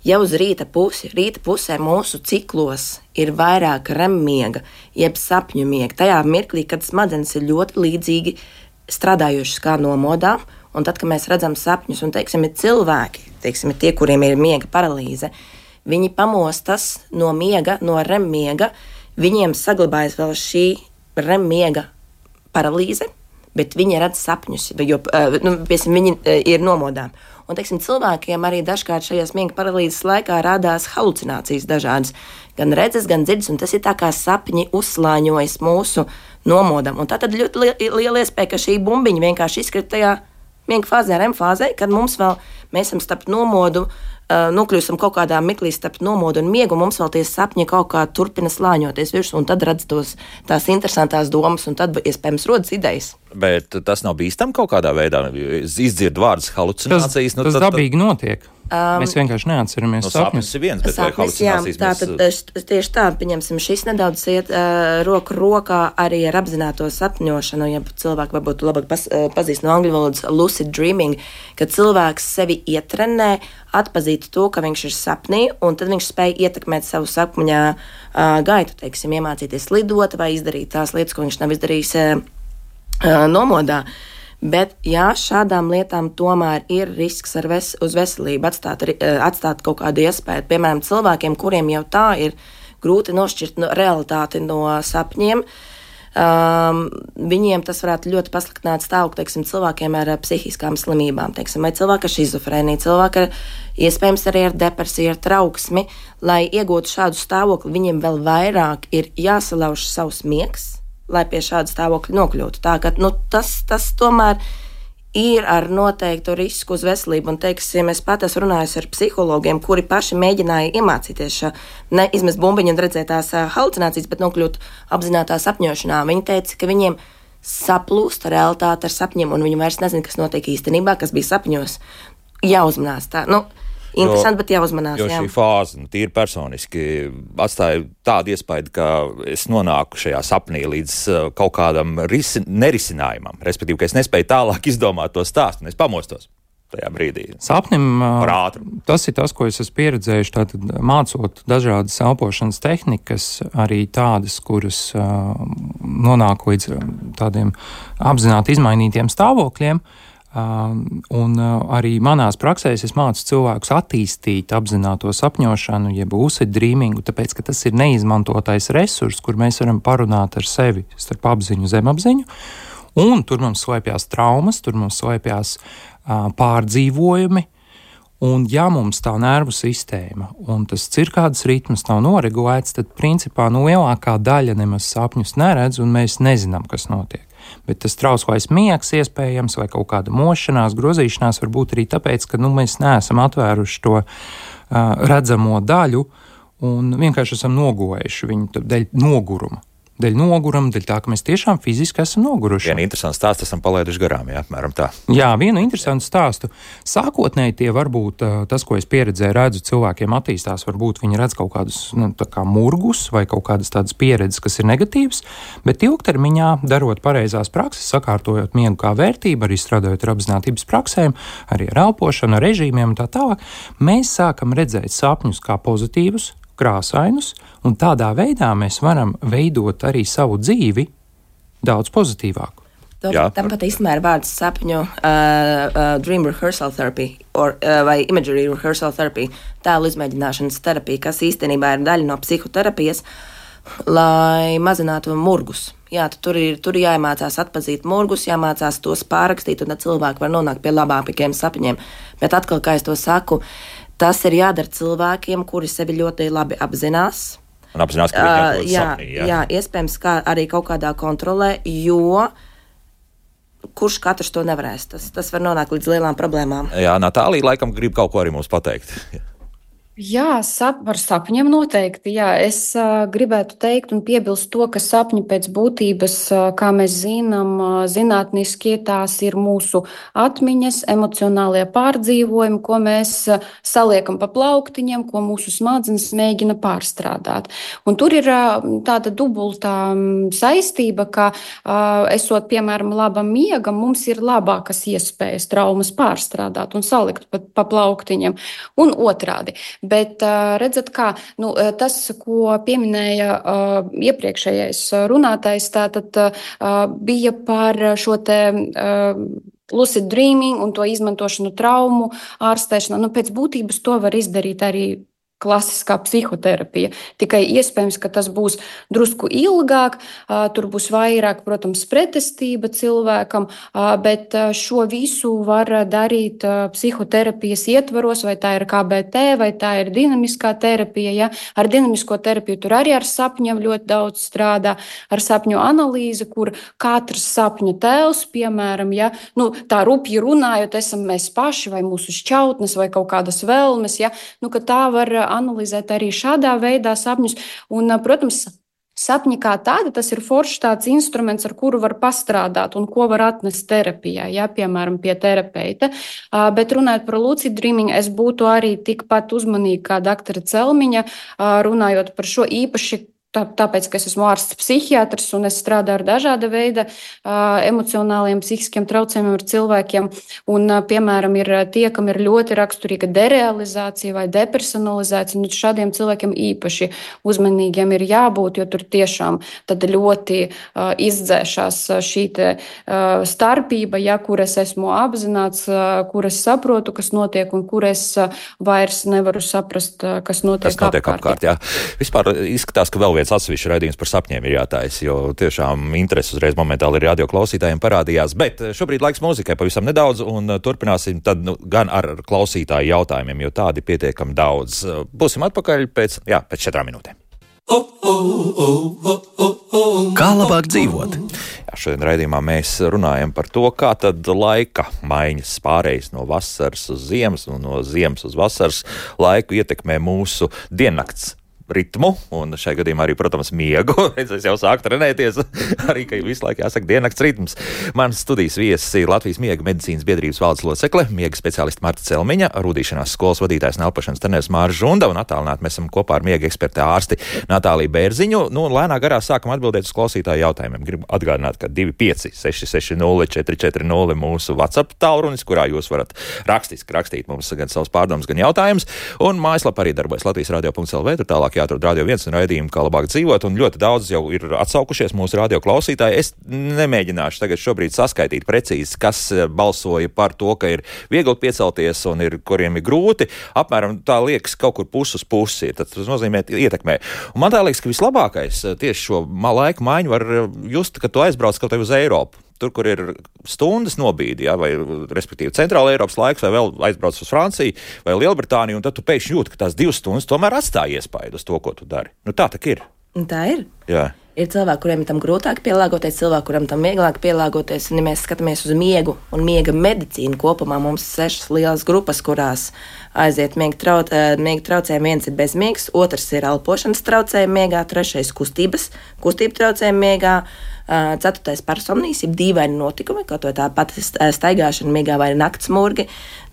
jau uz rīta pusi, rīta pusē mūsu ciklos ir vairāk remmiega, jeb sapņu miega. Tajā mirklī, kad smadzenes ir ļoti līdzīgi strādājušas kā nomodā, un tad, kad mēs redzam sapņus, un, teiksim, ir cilvēki, teiksim, ir tie, kuriem ir miega paralīze, viņi pamostas no miega, no remmiega, viņiem saglabājas vēl šī remmiega paralīze, bet viņi redz sapņus, jo, nu, piesim, viņi ir nomodā. Un, teiksim, cilvēkiem arī dažkārt šajās miega paralīzes laikā rādās halucinācijas dažādas, gan redzes, gan dzirdes, un tas ir tā kā sapņi uzslāņojas mūsu nomodam. Un tā tad ļoti liela iespēja, ka šī bumbiņa vienkārši izkrita tajā miega fāzē, R E M fāzē, kad mums vēl, mēs esam starp nomodu, uh, nokļūstam kaut kādā miklī starp nomodu un miegu, un mums vēl tie sapņi kaut kā turpina slāņoties virsū, un tad redz tos, tās interesantās domas, un tad iespējams rodas idejas. Bet tas nav bīstam kaut kādā veidā, izdzird vārdus halucinācijas. Tas, nu, tas tad, dabīgi notiek. Um, mēs vienkārši neatceramies no sapņus. Sapnis ir viens, bet sapnis, vai halucinācijas jā, tā, mēs... tad, tieši tā, pieņemsim, šis nedaudz iet uh, roku rokā arī ar apzināto sapņošanu, ja cilvēki varbūt labāk pas, uh, pazīst no angļu valodas lucid dreaming, kad cilvēks sevi ietrenē, atpazīt to, ka viņš ir sapnī, un tad viņš spēj ietekmēt savu sapņā uh, gaitu, teiksim, iemācīties lidot vai izdarīt tās lietas, ko viņš nav izdarījis uh, uh, nomodā. Bet, jā, šādām lietām tomēr ir risks ar ves, uz veselību atstāt, atstāt kaut kādu iespēju. Piemēram, cilvēkiem, kuriem jau tā ir grūti nošķirt no, realitāti no sapņiem, um, viņiem tas varētu ļoti pasliktināt stāvokli, teiksim, cilvēkiem ar psihiskām slimībām, teiksim, vai cilvēki ar šizofrēniju, cilvēki ar iespējams arī ar depresiju, ar trauksmi. Lai iegūtu šādu stāvokli, viņiem vēl vairāk ir jāsalauž savs miegs, lai pie šāda stāvokļa nokļūtu. Tā, ka, nu, tas, tas tomēr ir ar noteiktu risku uz veselību. Un, teiksim, es pat esmu runājis ar psihologiem, kuri paši mēģināja iemācīties šo, ne izmest bumbiņu un redzēt tās halucinācijas, bet nokļūt apzinātā sapņošanā. Viņi teica, ka viņiem saplūst realitāte ar sapņiem, un viņi vairs nezina, kas notiek īstenībā, kas bija sapņos. Jāuzmanās tā. Nu, Interesanti, bet jāuzmanās. Jo jā. šī fāze, nu, tīri personiski, atstāja tādu iespēju, ka es nonāku šajā sapnī līdz uh, kaut kādam risi, nerisinājumam. Respektīvi, ka es nespēju tālāk izdomāt to stāstu, un es pamostos tajā brīdī. Sapnim, uh, tas ir tas, ko es esmu pieredzējuši, tātad mācot dažādas elpošanas tehnikas, arī tādas, kuras uh, nonāk līdz tādiem apzināti izmainītiem stāvokļiem. Uh, un uh, arī manās praksēs es mācu cilvēkus attīstīt apzināto sapņošanu, jeb lucid dreamingu, tāpēc, ka tas ir neizmantotais resurs, kur mēs varam parunāt ar sevi starp apziņu, zemapziņu, un tur mums slēpjās traumas, tur mums slēpjās uh, pārdzīvojumi, un ja mums tā nervu sistēma un tas cirkādas ritms nav noregulēts, tad principā nu lielākā daļa nemaz sapņus neredz, un mēs nezinām, kas notiek. Bet tas trauslais miegs iespējams vai kaut kāda mošanās, grozīšanās var būt arī tāpēc, ka nu, mēs neesam atvēruši to uh, redzamo daļu un vienkārši esam nogojuši viņu dēļ noguruma. Dēļ noguruma, dēļ tā, ka mēs tiešām fiziski esam noguruši. Vienu interesantu stāstu esam palaiduši garām, jā, apmēram tā. Jā, vienu interesantu stāstu. Sākotnēji tie varbūt tas, ko es pieredzēju, redzu, cilvēkiem attīstās, varbūt viņi redz kaut kādus nu, tā kā murgus vai kaut kādas tādas pieredzes, kas ir negatīvas, bet ilgtermiņā, darot pareizās prakses, sakārtojot miegu kā vērtību, arī strādājot ar apzinātības praksēm, arī ar elpošanu, ar režīmiem un tā tālāk, mēs sākam redzēt sapņus kā pozitīvus, krāsainus, un tādā veidā mēs varam veidot arī savu dzīvi daudz pozitīvāku. Tāpat īstenībā ir vārds sapņu uh, uh, dream rehearsal therapy or, uh, vai imagery rehearsal therapy, tēlu izmēģināšanas terapija, kas īstenībā ir daļa no psihoterapijas, lai mazinātu murgus. Jā, tur ir, tur ir jāiemācās atpazīt murgus, jāmācās tos pārrakstīt, un tad cilvēki var nonākt pie labākiem sapņiem. Bet atkal, kā es to saku, tas ir jādara cilvēkiem, kuri sevi ļoti labi apzinās. Un apzinās, ka viņi atrodas jā, sapnī. Jā, jā, iespējams, kā arī kaut kādā kontrolē, jo kurš katrs to nevarēs. Tas, tas var nonākt līdz lielām problēmām. Jā, Natālija laikam grib kaut ko arī mums pateikt. Jā, sap, par sapņiem noteikti. Jā, es uh, gribētu teikt un piebilst to, ka sapņi pēc būtības, uh, kā mēs zinām, uh, zinātniski tās ir mūsu atmiņas, emocionālie pārdzīvojumi, ko mēs uh, saliekam pa plauktiņiem, ko mūsu smadzenes mēģina pārstrādāt. Un tur ir uh, tāda dubultā um, saistība, ka uh, esot, piemēram, labam miegam, mums ir labākas iespējas traumas pārstrādāt un salikt pa, pa plauktiņiem. Un otrādi. Bet redzat, kā nu, tas, ko pieminēja uh, iepriekšējais runātājs, tātad uh, bija par šo te uh, lucid dreaming un to izmantošanu traumu ārstēšanā. Nu, pēc būtības to var izdarīt arī klasiskā psihoterapija. Tikai iespējams, ka tas būs drusku ilgāk, tur būs vairāk, protams, pretestība cilvēkam, bet šo visu var darīt psihoterapijas ietvaros, vai tā ir K B T, vai tā ir dinamiskā terapija. Ja? Ar dinamisko terapiju tur arī ar sapņiem ļoti daudz strādā, ar sapņu analīzi, kur katrs sapņu tēls, piemēram, ja? nu, tā rupji runājot, esam mēs paši vai mūsu šķautnes vai kaut kādas vēlmes, ja? nu, ka tā var analizēt arī šādā veidā sapņus. Un, protams, sapņi kā tāda, tas ir foršs tāds instruments, ar kuru var pastrādāt un ko var atnest terapijā, ja, piemēram, pie terapeita. Bet runājot par lucid dreaming, es būtu arī tikpat uzmanīga kā doktora Celmiņa, runājot par šo īpaši. Tāpēc, ka es esmu ārsts psihiatrs un es strādāju ar dažāda veida uh, emocionāliem, psihiskiem traucējumiem ar cilvēkiem. Un, uh, piemēram, ir tie, kam ir ļoti raksturīga derealizācija vai depersonalizācija. Un šādiem cilvēkiem īpaši uzmanīgiem ir jābūt, jo tur tiešām tad ļoti uh, izdzēšās šī te, uh, starpība, ja, kur es esmu apzināts, uh, kur es saprotu, kas notiek, un kur es uh, vairs nevaru saprast, uh, kas notiek, kas notiek apkārt. apkārt jā. Vispār izskatās, ka vēl viens atsevišķi raidījums par sapņiem ir jātājas, jo tiešām interesi uzreiz momentāli ir radio klausītājiem parādījās. Bet šobrīd laiks mūzikai pavisam nedaudz, un turpināsim tad nu, gan ar klausītāju jautājumiem, jo tādi pietiekami daudz. Būsim atpakaļ pēc, jā, pēc četrām minūtēm. Kā labāk dzīvot? Jā, šodien raidījumā mēs runājam par to, kā tad laika maiņas pārējais no vasaras uz ziemas un no ziemas uz vasaras laiku ietekmē mūsu diennakts ritmu, un šajā gadījumā arī, protams, miegu. Es jau sāku trenēties, arī, ka visu laiku jāsaka diennakts ritms. Mans studijas viesis ir Latvijas miega medicīnas biedrības valdes locekle, miega speciāliste Marta Celmiņa, rūdīšanās skolas vadītājs un elpošanas treneris Māris Žunda, un attālināti mēs esam kopā ar miega eksperti ārsti Natāliju Bērziņu. Nu, lēnā garā sākam atbildēt uz klausītāju jautājumiem. Gribu atgādināt, ka divi pieci seši seši nulle četri četri nulle mūsu WhatsApp tālrunis, kurā jūs varat rakstiski rakstīt mums gan savus pārdomus, gan jautājumus, un mājaslapā arī darbojas Latvijas radio punkts L V, tur tālāk jāatrod radio viens un raidījumu, kā labāk dzīvot, un ļoti daudz jau ir atsaukušies mūsu radio klausītāji. Es nemēģināšu tagad šobrīd saskaitīt precīzi, kas balsoja par to, ka ir viegli piecelties un ir, kuriem ir grūti. Apmēram tā liekas kaut kur pusi uz pusi. Tad tas nozīmē ietekmē. Un man tā liekas, ka vislabākais tieši šo laika maiņu var just, kad tu aizbrauc kaut tev uz Eiropu. Tur, kur ir stundas nobīdi, ja, vai respektīvi centrāla Eiropas laiks, vai vēl aizbrauc uz Franciju vai Lielbritāniju, un tad tu pēkšņi jūti, ka tās divas stundas tomēr atstāja iespaidu uz to, ko tu dari. Nu, tā tak ir. Tā ir. Jā. Ir cilvēki, kuriem ir tam grūtāk pielāgoties, cilvēki, kuriem tam vieglāk pielāgoties. Un, ja mēs skatāmies uz miegu un miega medicīnu kopumā, mums ir sešas lielas grupas, kurās aiziet miega, trauc, miega traucējumi. Viens ir bezmiegs, otrs ir elpošanas traucējumi miegā, trešais kustības, kustību traucējumi miegā, ceturtais personīs, ir dīvaini notikumi, kaut vai tā pati staigāšana miegā vai naktsmurgi.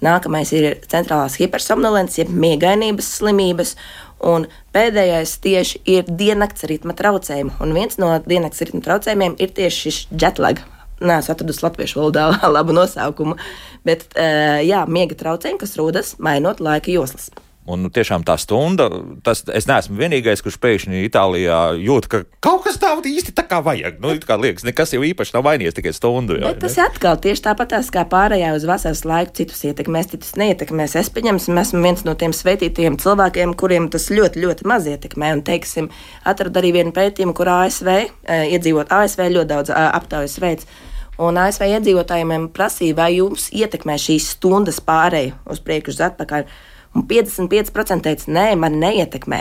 Nākamais ir centrālās hipersomnolents, jeb miegainības slimības. Un pēdējais tieši ir diennakts ritma traucējumi. Un viens no diennakts ritma traucējumiem ir tieši šis jetlag. Nē, es atradu latviešu valodā labu nosaukumu. Bet, jā, miega traucējumi, kas rodas mainot laika joslas. Un nu, tiešām tā stunda, tas, es neesmu vienīgais, kurš pēkšņi Itālijā jūt, ka kaut kas tādu īsti tā kā vajag. Nu, kā liekas, nekas jau īpaši nav mainījies, tikai stundu. Jā, bet tas ir atkal tieši tāpatās kā pārējā uz vasaras laiku, citus ietekmēs, citus neietekmēs. Es pieņemsim, esmu viens no tiem svētītajiem cilvēkiem, kuriem tas ļoti, ļoti maz ietekmē. Un, teiksim, atradu arī vienu pētījumu, kur A S V iedzīvot, A S V ļoti daudz aptaujas veids. Un A S V iedzīvotājiem prasīja, vai jums ietekmē šīs stundas pārēju uz priekšu uz atpakaļ. Un piecdesmit pieci procenti teica, nē, man neietekmē.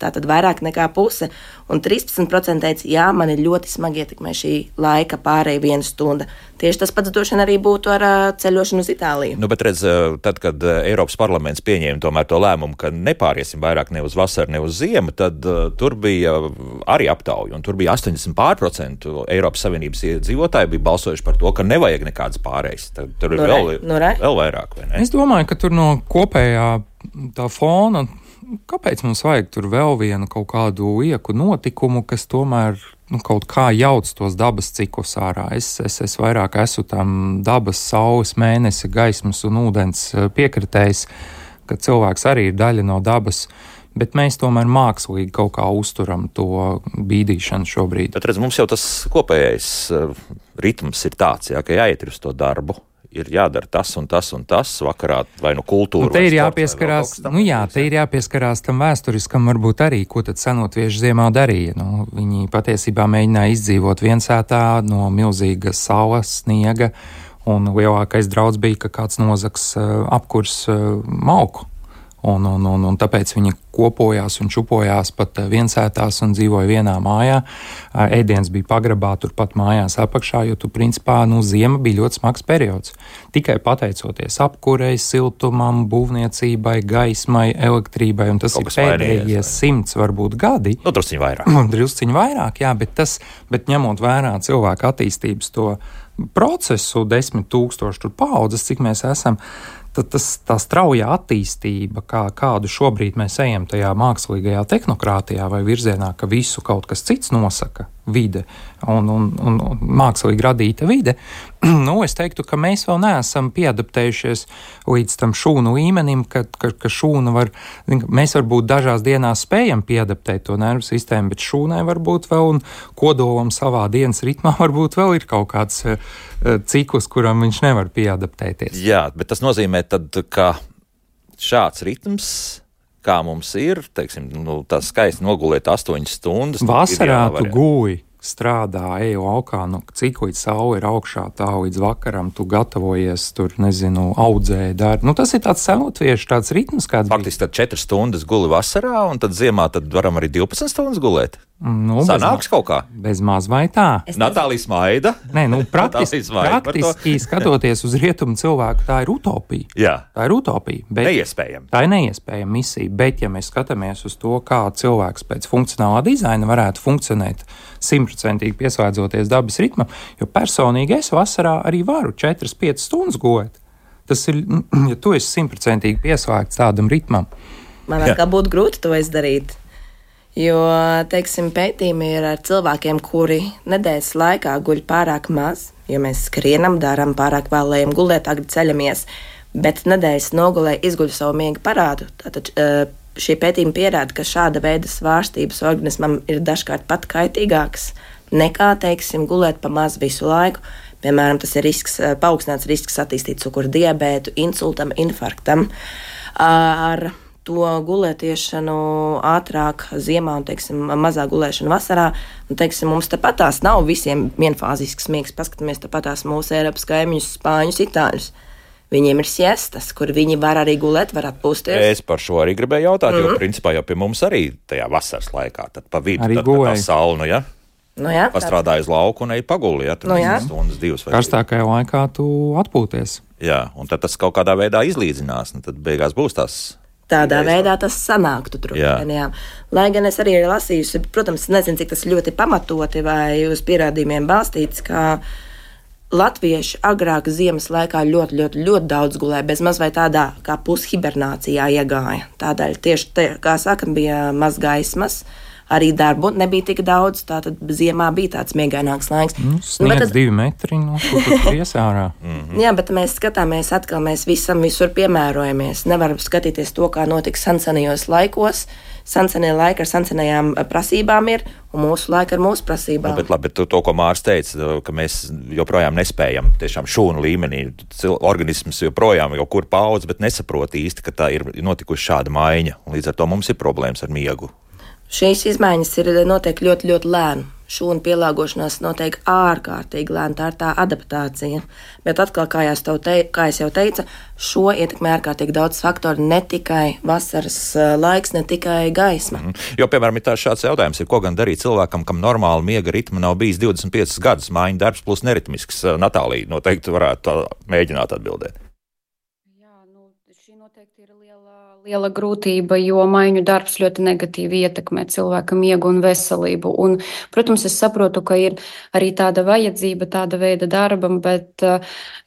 Tātad vairāk nekā puse. Un trīspadsmit procenti teica, jā, man ir ļoti smagi ietekmē šī laika pārēja viena stunda. Tieši tas pats droši vien arī būtu ar uh, ceļošanu uz Itāliju. Nu, bet redz, tad, kad Eiropas parlaments pieņēma tomēr to lēmumu, ka nepāriesim vairāk ne uz vasaru, ne uz ziemu, tad uh, tur bija arī aptauja. Un tur bija astoņdesmit procenti Eiropas Savienības iedzīvotāji bija balsojuši par to, ka nevajag nekādas pārējas. Tad, tur ir nu, vēl, nu, vēl vairāk, vai ne? Es domāju, ka tur no kopējā tā fona, kāpēc mums vajag tur vēl vienu kaut kādu ieku notikumu, kas tomēr nu, kaut kā jauc tos dabas ciklus ārā. Es, es, es vairāk esmu tam dabas, saules, mēnesi, gaismas un ūdens piekritējis, ka cilvēks arī ir daļa no dabas, bet mēs tomēr mākslīgi kaut kā uzturam to bīdīšanu šobrīd. Bet redz, mums jau tas kopējais ritms ir tāds, jā, ka jāiet uz to darbu. ir jādara tas un tas un tas vakarā, vai nu kultūra. Nu, te ir jāpieskarās, nu jā, te ir jāpieskarās tam vēsturiskam varbūt arī, ko tad senotvieši ziemā darīja. Nu, viņi patiesībā mēģināja izdzīvot viensētā no milzīga saules, sniega, un lielākais draudz bija, ka kāds nozaks uh, apkurs uh, malku. Un, un, un, un tāpēc viņi kopojās un čupojās pat viensētās un dzīvoja vienā mājā. Ēdiens bija pagrabā turpat mājās apakšā, jo tu principā, nu, ziema bija ļoti smags periods. Tikai pateicoties apkurei, siltumam, būvniecībai, gaismai, elektrībai, un tas Kaut ir pēdējie simts varbūt gadi. Nu, drusciņi vairāk. Drusciņi vairāk, jā, bet tas, bet ņemot vērā cilvēku attīstības to procesu, desmit tūkstoši tur paaudzes, cik mēs esam, tad tas, tā straujā attīstība, kā, kādu šobrīd mēs ejam tajā mākslīgajā tehnokrātijā vai virzienā, ka visu kaut kas cits nosaka, vide un, un, un, un mākslīgi radīta vide, nu, es teiktu, ka mēs vēl neesam pieadaptējušies līdz tam šūnu līmenim, ka, ka, ka šūna var, mēs varbūt dažās dienās spējam pieadaptēt to nervu sistēmu, bet šūnai varbūt vēl un kodolam savā dienas ritmā varbūt vēl ir kaut kāds uh, ciklus, kuram viņš nevar pieadaptēties. Jā, bet tas nozīmē tad, ka šāds ritms, kā mums ir, teiksim, nu, tā skaisti nogulēt astoņas stundas. Vasarā tu gūji, strādā, ej laukā, nu, cik līdz saule ir augšā, tā līdz vakaram tu gatavojies, tur, nezinu, audzēji, dari. Nu, tas ir tāds senotviešu, tāds ritms, kāds Faktiski tad četras stundas guli vasarā, un tad ziemā tad varam arī divpadsmit stundas gulēt. Nu, Sanāks bez, kaut kā? Bez maz vai tā. Natālija smaida. Nē, nu, praktiski, praktiski skatoties uz rietumu cilvēku, tā ir utopija. Jā. Tā ir utopija. Bet, neiespējama. Tā ir neiespējama misija, bet ja mēs skatāmies uz to, kā cilvēks pēc funkcionālā dizaina varētu funkcionēt simtprocentīgi pieslēdzoties dabas ritmam, jo personīgi es vasarā arī varu četras piecas stundas gulēt. Tas ir, ja tu esi simtprocentīgi pieslēgts tādam ritmam. Man kā būtu grūti to izdarīt. Jo, teiksim, pētījumi ir ar cilvēkiem, kuri nedēļas laikā guļ pārāk maz, jo mēs skrienam, darām pārāk vēlējam gulēt, agri ceļamies, bet nedēļas nogulē izguļ savu miega parādu. Tātad šie pētījumi pierāda, ka šāda veida svārstības organismam ir dažkārt pat kaitīgākas nekā, teiksim, gulēt pa maz visu laiku. Piemēram, tas ir risks, paaugstināts risks attīstīt cukura diabētu, insultam, infarktam. Ar to gulētiešanu ātrāk ziemā un, teiksim, mazāk gulēšanu vasarā. Un, teiksim, mums tepatās nav visiem vienfāzisks miegs. Paskatāmies tepatās mūsu Eiropas kaimiņus, spāņus, itāļus. Viņiem ir siestas, kur viņi var arī gulēt, var atpūsties. Es par šo arī gribēju jautāt, mm-hmm. jo principā jau pie mums arī tajā vasaras laikā, tad pa vidu, tad, tad tā saule, nu ja? Nu jā, pastrādāja uz lauku un ej paguli, ja? Tur nu jā. Stundas, divas vai karstākajā laikā tu atpūties. Jā, un tad tas kaut kādā veidā izlīdzinās, un tad beigās būs tās. Tādā veidā tas sanāktu trupēnijām. Lai gan es arī ir lasījusi, protams, nezinu, cik tas ļoti pamatoti vai uz pierādījumiem balstīts, ka latvieši agrāk ziemas laikā ļoti, ļoti, ļoti daudz gulēja, bez maz vai tādā kā pushibernācijā iegāja. Tādēļ tieši, te, kā saka, bija maz gaismas, arī darbu nebija tik daudz, tātad ziemā bija tāds miegaināks laiks. Nu, sniegs tad, divi metri, nu, kur tur iesārā. Mm-hmm. Jā, bet mēs skatāmies atkal, mēs visam visur piemērojamies. Nevaram skatīties to, kā notika sensenajos laikos. Sensenie laiki ar sensenajām prasībām ir, un mūsu laika ar mūsu prasībām. Nu, bet labi, bet to, to, ko Mārs teica, ka mēs joprojām nespējam tiešām šūnu līmenī. Organisms joprojām jau kur paudz, bet nesaprot īsti, ka tā ir notikusi šāda maiņa. Un līdz ar to mums ir problēmas ar miegu. Šīs izmaiņas ir notiek ļoti, ļoti lēni. Šūnu pielāgošanās notiek ārkārtīgi lēni, tā ir tā adaptācija. Bet atkal, kā, te, kā es jau teicu, šo ietekmē ārkārtīgi daudz faktoru, ne tikai vasaras laiks, ne tikai gaisma. Mm. Jo, piemēram, ir tāds šāds jautājums, ir, ko gan darīt cilvēkam, kam normāli miega ritma nav bijis divdesmit piecus gadus, mājiņu darbs plus neritmisks. Natālija noteikti varētu mēģināt atbildēt. Liela grūtība, jo maiņu darbs ļoti negatīvi ietekmē cilvēka miegu un veselību. Un, protams, es saprotu, ka ir arī tāda vajadzība, tāda veida darbam, bet,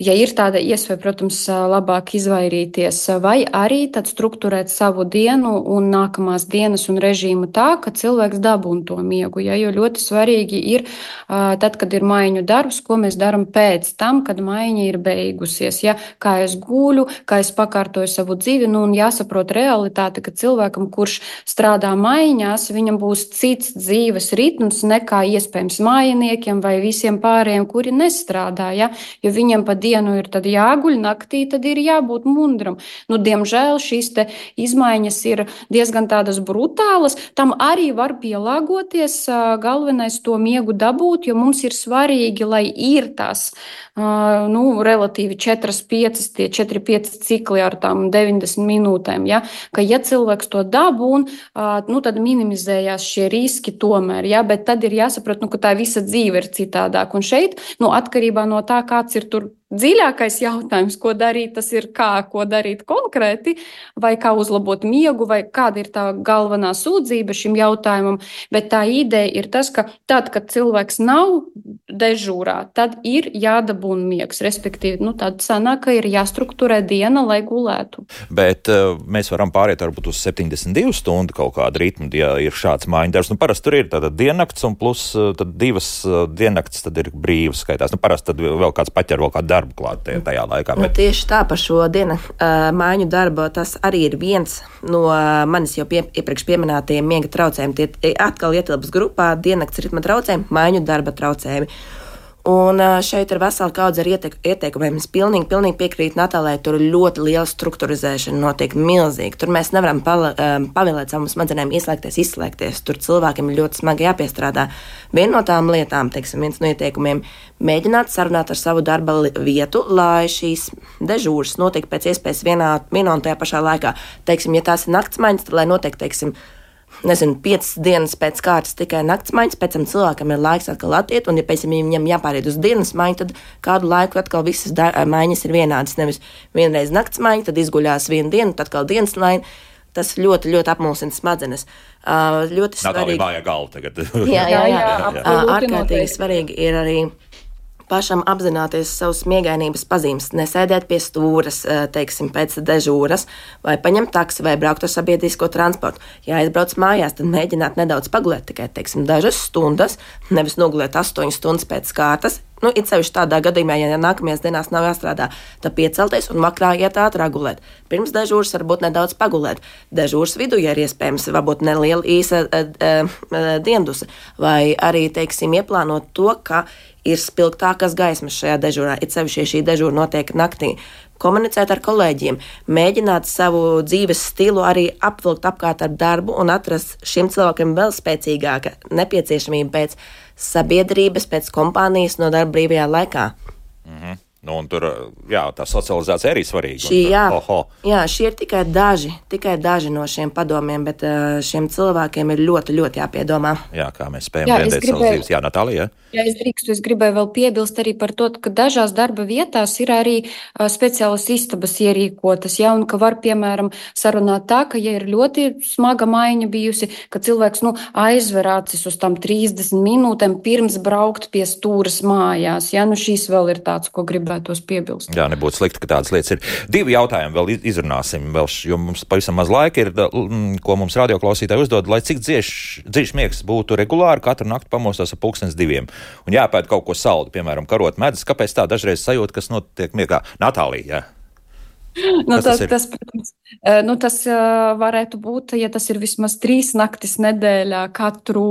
ja ir tāda iespēja, protams, labāk izvairīties vai arī tad strukturēt savu dienu un nākamās dienas un režīmu tā, ka cilvēks dabūn to miegu. Ja, jo ļoti svarīgi ir, tad, kad ir maiņu darbs, ko mēs daram pēc tam, kad maiņa ir beigusies. Ja, kā es guļu, kā es pakārtoju sakārtoju savu dzīvi, nu, un jāsaprot realitāte, ka cilvēkam, kurš strādā maiņās, viņam būs cits dzīves ritms nekā iespējams mājiniekiem vai visiem pārējiem, kuri nestrādā, ja? Jo viņiem pa dienu ir tad jāguļ, naktī tad ir jābūt mundram. Nu, diemžēl šīs te izmaiņas ir diezgan tādas brutālas, tam arī var pielāgoties, galvenais to miegu dabūt, jo mums ir svarīgi, lai ir tās, nu, relatīvi četri pieci, tie četri pieci cikli ar tām deviņdesmit minūtēm, ja, ka ja cilvēks to dabūn, nu, tad minimizējās šie riski tomēr, ja, bet tad ir jāsaprot, nu, ka tā visa dzīve ir citādāk, un šeit, nu, atkarībā no tā, kāds ir tur dziļākais jautājums, ko darīt, tas ir kā, ko darīt konkrēti, vai kā uzlabot miegu, vai kāda ir tā galvenā sūdzība šim jautājumam, bet tā ideja ir tas, ka tad, kad cilvēks nav dežūrā, tad ir jādabūna miegs, respektīvi, nu, tad sanāk, ka ir jāstrukturē diena, lai gulētu. Bet uh, mēs varam pāriet varbūt uz septiņdesmit divu stundu kaut kādu ritmu, ja ir šāds mājiņu darbs. Nu, parasti tur ir tāda diennakts un plus uh, tad divas uh, diennakts tad ir brīvas skaitās. Nu, parasti tad vēl kāds paķer vēl kādu darbu klāt tajā laikā. Bet... Nu, tieši tā par šo dienu uh, mājiņu darbu, tas arī ir viens no uh, manis jau pie, iepriekš pieminētajiem miega traucējumiem. Tie atkal ietilps grupā diennakts ritma traucējumi, mājiņu darba traucējumi. Un šeit ir vesela kaudze ar ieteikumiem. Es pilnīgi, pilnīgi piekrītu Natālijai, tur ļoti liela strukturizēšana notiek milzīgi. Tur mēs nevaram pala, pavēlēt savam smadzenēm ieslēgties, izslēgties. Tur cilvēkiem ir ļoti smagi jāpiestrādā. Viena no tām lietām, teiksim, viens no ieteikumiem, mēģināt sarunāt ar savu darba vietu, lai šīs dežūras notiek pēc iespējas vienā, vienā un tajā pašā laikā. Teiksim, ja tās ir naktsmaiņas, tad lai notiek, teiksim, nezinu, piecas dienas pēc kārtas tikai naktsmaiņas, pēc tam cilvēkam ir laiks atkal attiet, un ja pēc tam viņam jāpāriet uz dienas maiņu, tad kādu laiku atkal visas da- maiņas ir vienādas. Nevis vienreiz naktsmaiņa, tad izguļās vienu dienu, tad atkal dienas maiņa. Tas ļoti, ļoti apmulsina smadzenes. Uh, ļoti svarīgi. Natālija vājā galva tagad. jā, jā, jā. jā, jā. jā. Ārkārtīgi svarīgi ir arī pašam apzināties savus miegainības pazīmes, nesēdēt pie stūras, teiksim, pēc dežūras, vai paņemt taksi, vai braukt ar sabiedrisko transportu. Ja aizbrauc mājās, tad mēģināt nedaudz pagulēt, tikai, teiksim, dažas stundas, nevis nogulēt astoņas stundas pēc kārtas. Nu, it sevišķi tādā gadījumā, ja nākamajās dienās nav jāstrādā, tad piecelties un vakarā iet ātrāk gulēt. Pirms dežūras varbūt nedaudz pagulēt. Dežūras vidū, ja ir iespējams, varbūt neliela īsa e, e, e, diendusa, vai arī, teiksim, ieplānot to, ka ir spilgtākas gaismas šajā dežūrā, it sevišķi, ja šī dežūra notiek naktī. Komunicēt ar kolēģiem, mēģināt savu dzīves stilu arī apvilkt apkārt ar darbu un atrast šim cilvēkam vēl spēcīgāka nepieciešamība pēc sabiedrības, pēc kompānijas no darba brīvajā laikā. Mhm. Nu, un tur, jā, tā socializācija arī svarīga. Šī, jā, oho. jā, šie ir tikai daži, tikai daži no šiem padomiem, bet šiem cilvēkiem ir ļoti, ļoti jāpiedomā. Jā, kā mēs spējam brendēt savas dzīves. Jā, Natālija, jā? Ja es drīkstu, es gribēju vēl piebilst arī par to, ka dažās darba vietās ir arī uh, speciālas istabas ierīkotas, ja, un ka var, piemēram, sarunāt tā, ka, ja ir ļoti smaga maiņa bijusi, ka cilvēks, nu, aizver acis uz tām trīsdesmit minūtēm pirms braukt pie stūras mājās, ja, nu, šīs vēl ir tāds, ko gribētos piebilst. Jā, nebūtu slikti, ka tādas lietas ir. Divi jautājumi vēl izrunāsim, vēl, jo mums pavisam maz laika ir, ko mums radioklausītāji uzdod, lai cik dziļš miegs būtu regulāri, katru nakti pamostos ap pulkstens diviem. Un jāpēd kaut ko saldu, piemēram, karot medus. Kāpēc tā dažreiz sajūta, kas notiek miegā? Natālija, jā. Nu, tas, tas, tas, protams, nu, tas varētu būt, ja tas ir vismaz trīs naktis nedēļā, katru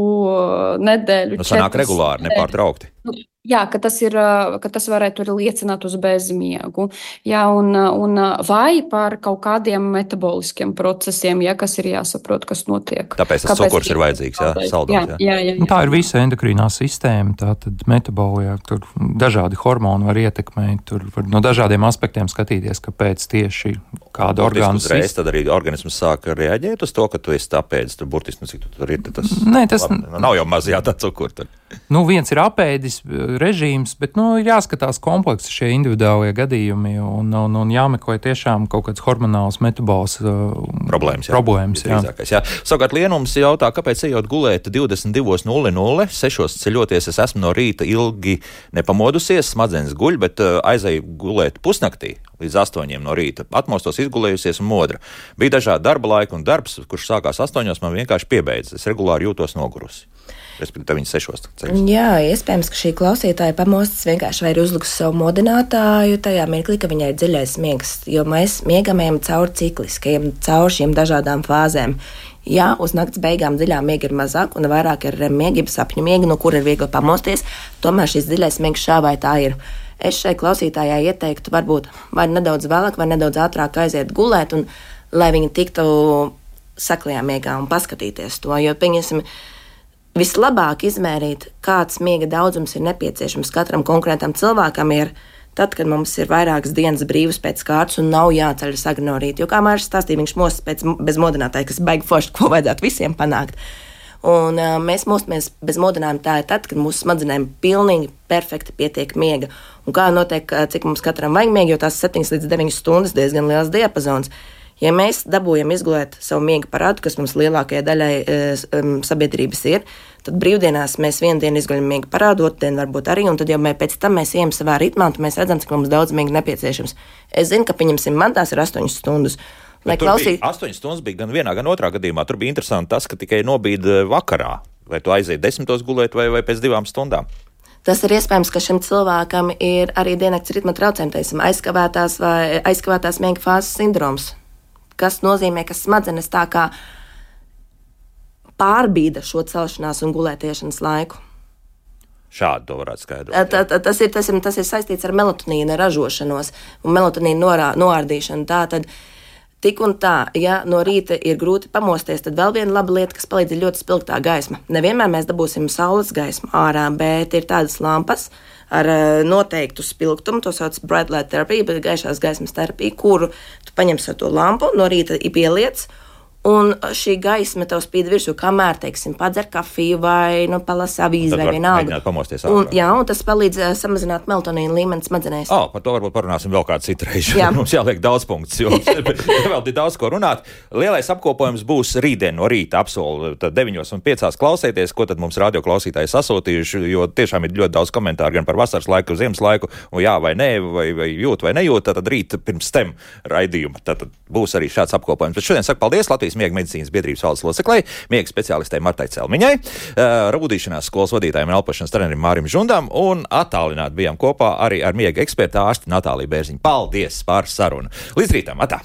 nedēļu. Nu, sanāk regulāri, nepārtraukti. Nu, jā, ka tas, ir, ka tas varētu arī liecināt uz bezmiegu. Jā, un, un vai par kaut kādiem metaboliskiem procesiem, ja, kas ir jāsaprot, kas notiek. Tāpēc tas cukurs ir vajadzīgs, jā, saldums. Jā, jā, jā, jā. Tā ir visa endokrīnā sistēma, tā tad metabolijā, tur dažādi hormoni var ietekmēt, tur var no dažādiem aspektiem skatīties, kāpēc tieši kāda orgāna sistēma. Tad arī organisms sāk reaģēt uz to, ka tu esi tāpēc, tur burtiski, nu, cik tu tur ir, tas, Nē, tas labi, nav jau mazajā tā cukura. Tad. Nu, viens ir apēdis režīms, bet, nu, ir jāskatās kompleksi šie individuālie gadījumi un, un, un jāmeklē tiešām kaut kāds hormonāls metabols uh, problēmas. Jā. problēmas jā. Jā. Savukārt Lienums jautā, kāpēc ejot gulēt divdesmit divos nulle nulle, sešos ceļoties, es esmu no rīta ilgi nepamodusies, smadzenes guļ, bet uh, aizēju gulēt pusnaktī. līdz astoņiem no rīta. Atmostos izgulējusies un modra. Bija dažādi darba laika un darbs, kurš sākās astoņos, man vienkārši piebeidz. Es regulāri jūtos nogurusi. Respektīvi, viņa sešos. Jā, iespējams, ka šī klausītāja pamostas vienkārši vai ir uzlikusi savu modinātāju tajā mirklī, ka viņai ir dziļais miegs, jo mēs miegamējam cauri cikliskajiem, cauri šīm dažādām fāzēm. Jā, uz nakts beigām dziļā miega ir mazāk un vairāk ir miega, sapņu miega, no kura ir viegli pamosties, tomēr šis dziļais miegs šā vai tā ir. Es šai klausītājai ieteiktu varbūt vai nedaudz vēlāk, vai nedaudz ātrāk aiziet gulēt, un lai viņi tiktu saklajā miegā un paskatīties to, jo, pieņemsim, vislabāk izmērīt, kāds miega daudzums ir nepieciešams katram konkrētam cilvēkam ir tad, kad mums ir vairākas dienas brīvas pēc kārtas un nav jāceļas agri no rīta, jo kā Māris stāstīja, viņš mostas pēc bezmodinātāja, kas baigi forši, ko vajadzētu visiem panākt. Un uh, mēs mostamies bez modinājuma tā ir tad, kad mūsu smadzenēm pilnīgi perfekti pietiek miega. Un kā notiek, cik mums katram vajag miega, jo tās septiņas līdz deviņas stundas diezgan liels diapazons. Ja mēs dabūjam izgulēt savu miega parādu, kas mums lielākajai daļai um, sabiedrības ir, tad brīvdienās mēs vienu dienu izguļam miega parādu, otru dienu varbūt arī, un tad jau mēs pēc tam mēs ejam savā ritmā, un mēs redzam, cik mums daudz miega nepieciešams. Es zinu, ka pieņemsim man tās ir astoņas stundas. Lai klausīt... astoņas stundas bija gan vienā, gan otrā gadījumā. Tur bija interesanti tas, ka tikai nobīda vakarā. Vai tu aiziet desmitos gulēt vai, vai pēc divām stundām? Tas ir iespējams, ka šim cilvēkam ir arī diennakts ritma traucējumi, teiksim, aizkavētās vai aizkavētās miega fāzes sindroms, kas nozīmē, ka smadzenes tā kā pārbīda šo celšanās un gulētiešanas laiku. Šādi to varētu skaidrot. Tā, tā, tas, ir, tas, ir, tas ir saistīts ar melatonīna ražošanos un melatonīna norā, noārdīšanu. Tā tad tik un tā, ja no rīta ir grūti pamosties, tad vēl viena laba lieta, kas palīdz, ir ļoti spilgtā gaisma. Nevienmēr mēs dabūsim saules gaismu ārā, bet ir tādas lampas ar noteiktu spilgtumu, to sauc bright light therapy, bet gaišās gaismas terapija, kuru tu paņemsi ar to lampu, no rīta pieliec, un šī gaisma tev spīd virsū, kamēr, teiksim, padzer kafiju vai nu, palasa avīzi vai vienalga. Un, jā, un tas palīdz uh, samazināt melatonīnu līmeni smadzenēs. Oh, par to varbūt parunāsim vēl kādu citu reizi. Jā. Mums jāliek daudz punktus, jo vēl ir daudz ko runāt. Lielais apkopojums būs rītdien no rīta, apsolu tad deviņos un piecās klausēties, ko tad mums radio klausītāji sasūtījuši, jo tiešām ir ļoti daudz komentāru gan par vasaras laiku, ziemas laiku, un jā vai nē, vai, vai jūt vai nejūt, tad rīt pirms tem raidījuma. Tad būs arī šāds apkopojums. Bet šodien saku paldies Latvijas Miega medicīnas biedrības valdes loceklei, miega speciālistei Martai Celmiņai, rūdīšanās skolas vadītājiem un elpošanas trenerim Mārim Žundam, un attālināti bijām kopā arī ar miega ekspertu ārsti Natāliju Bērziņu. Paldies par sarunu! Līdz rītam! Atā!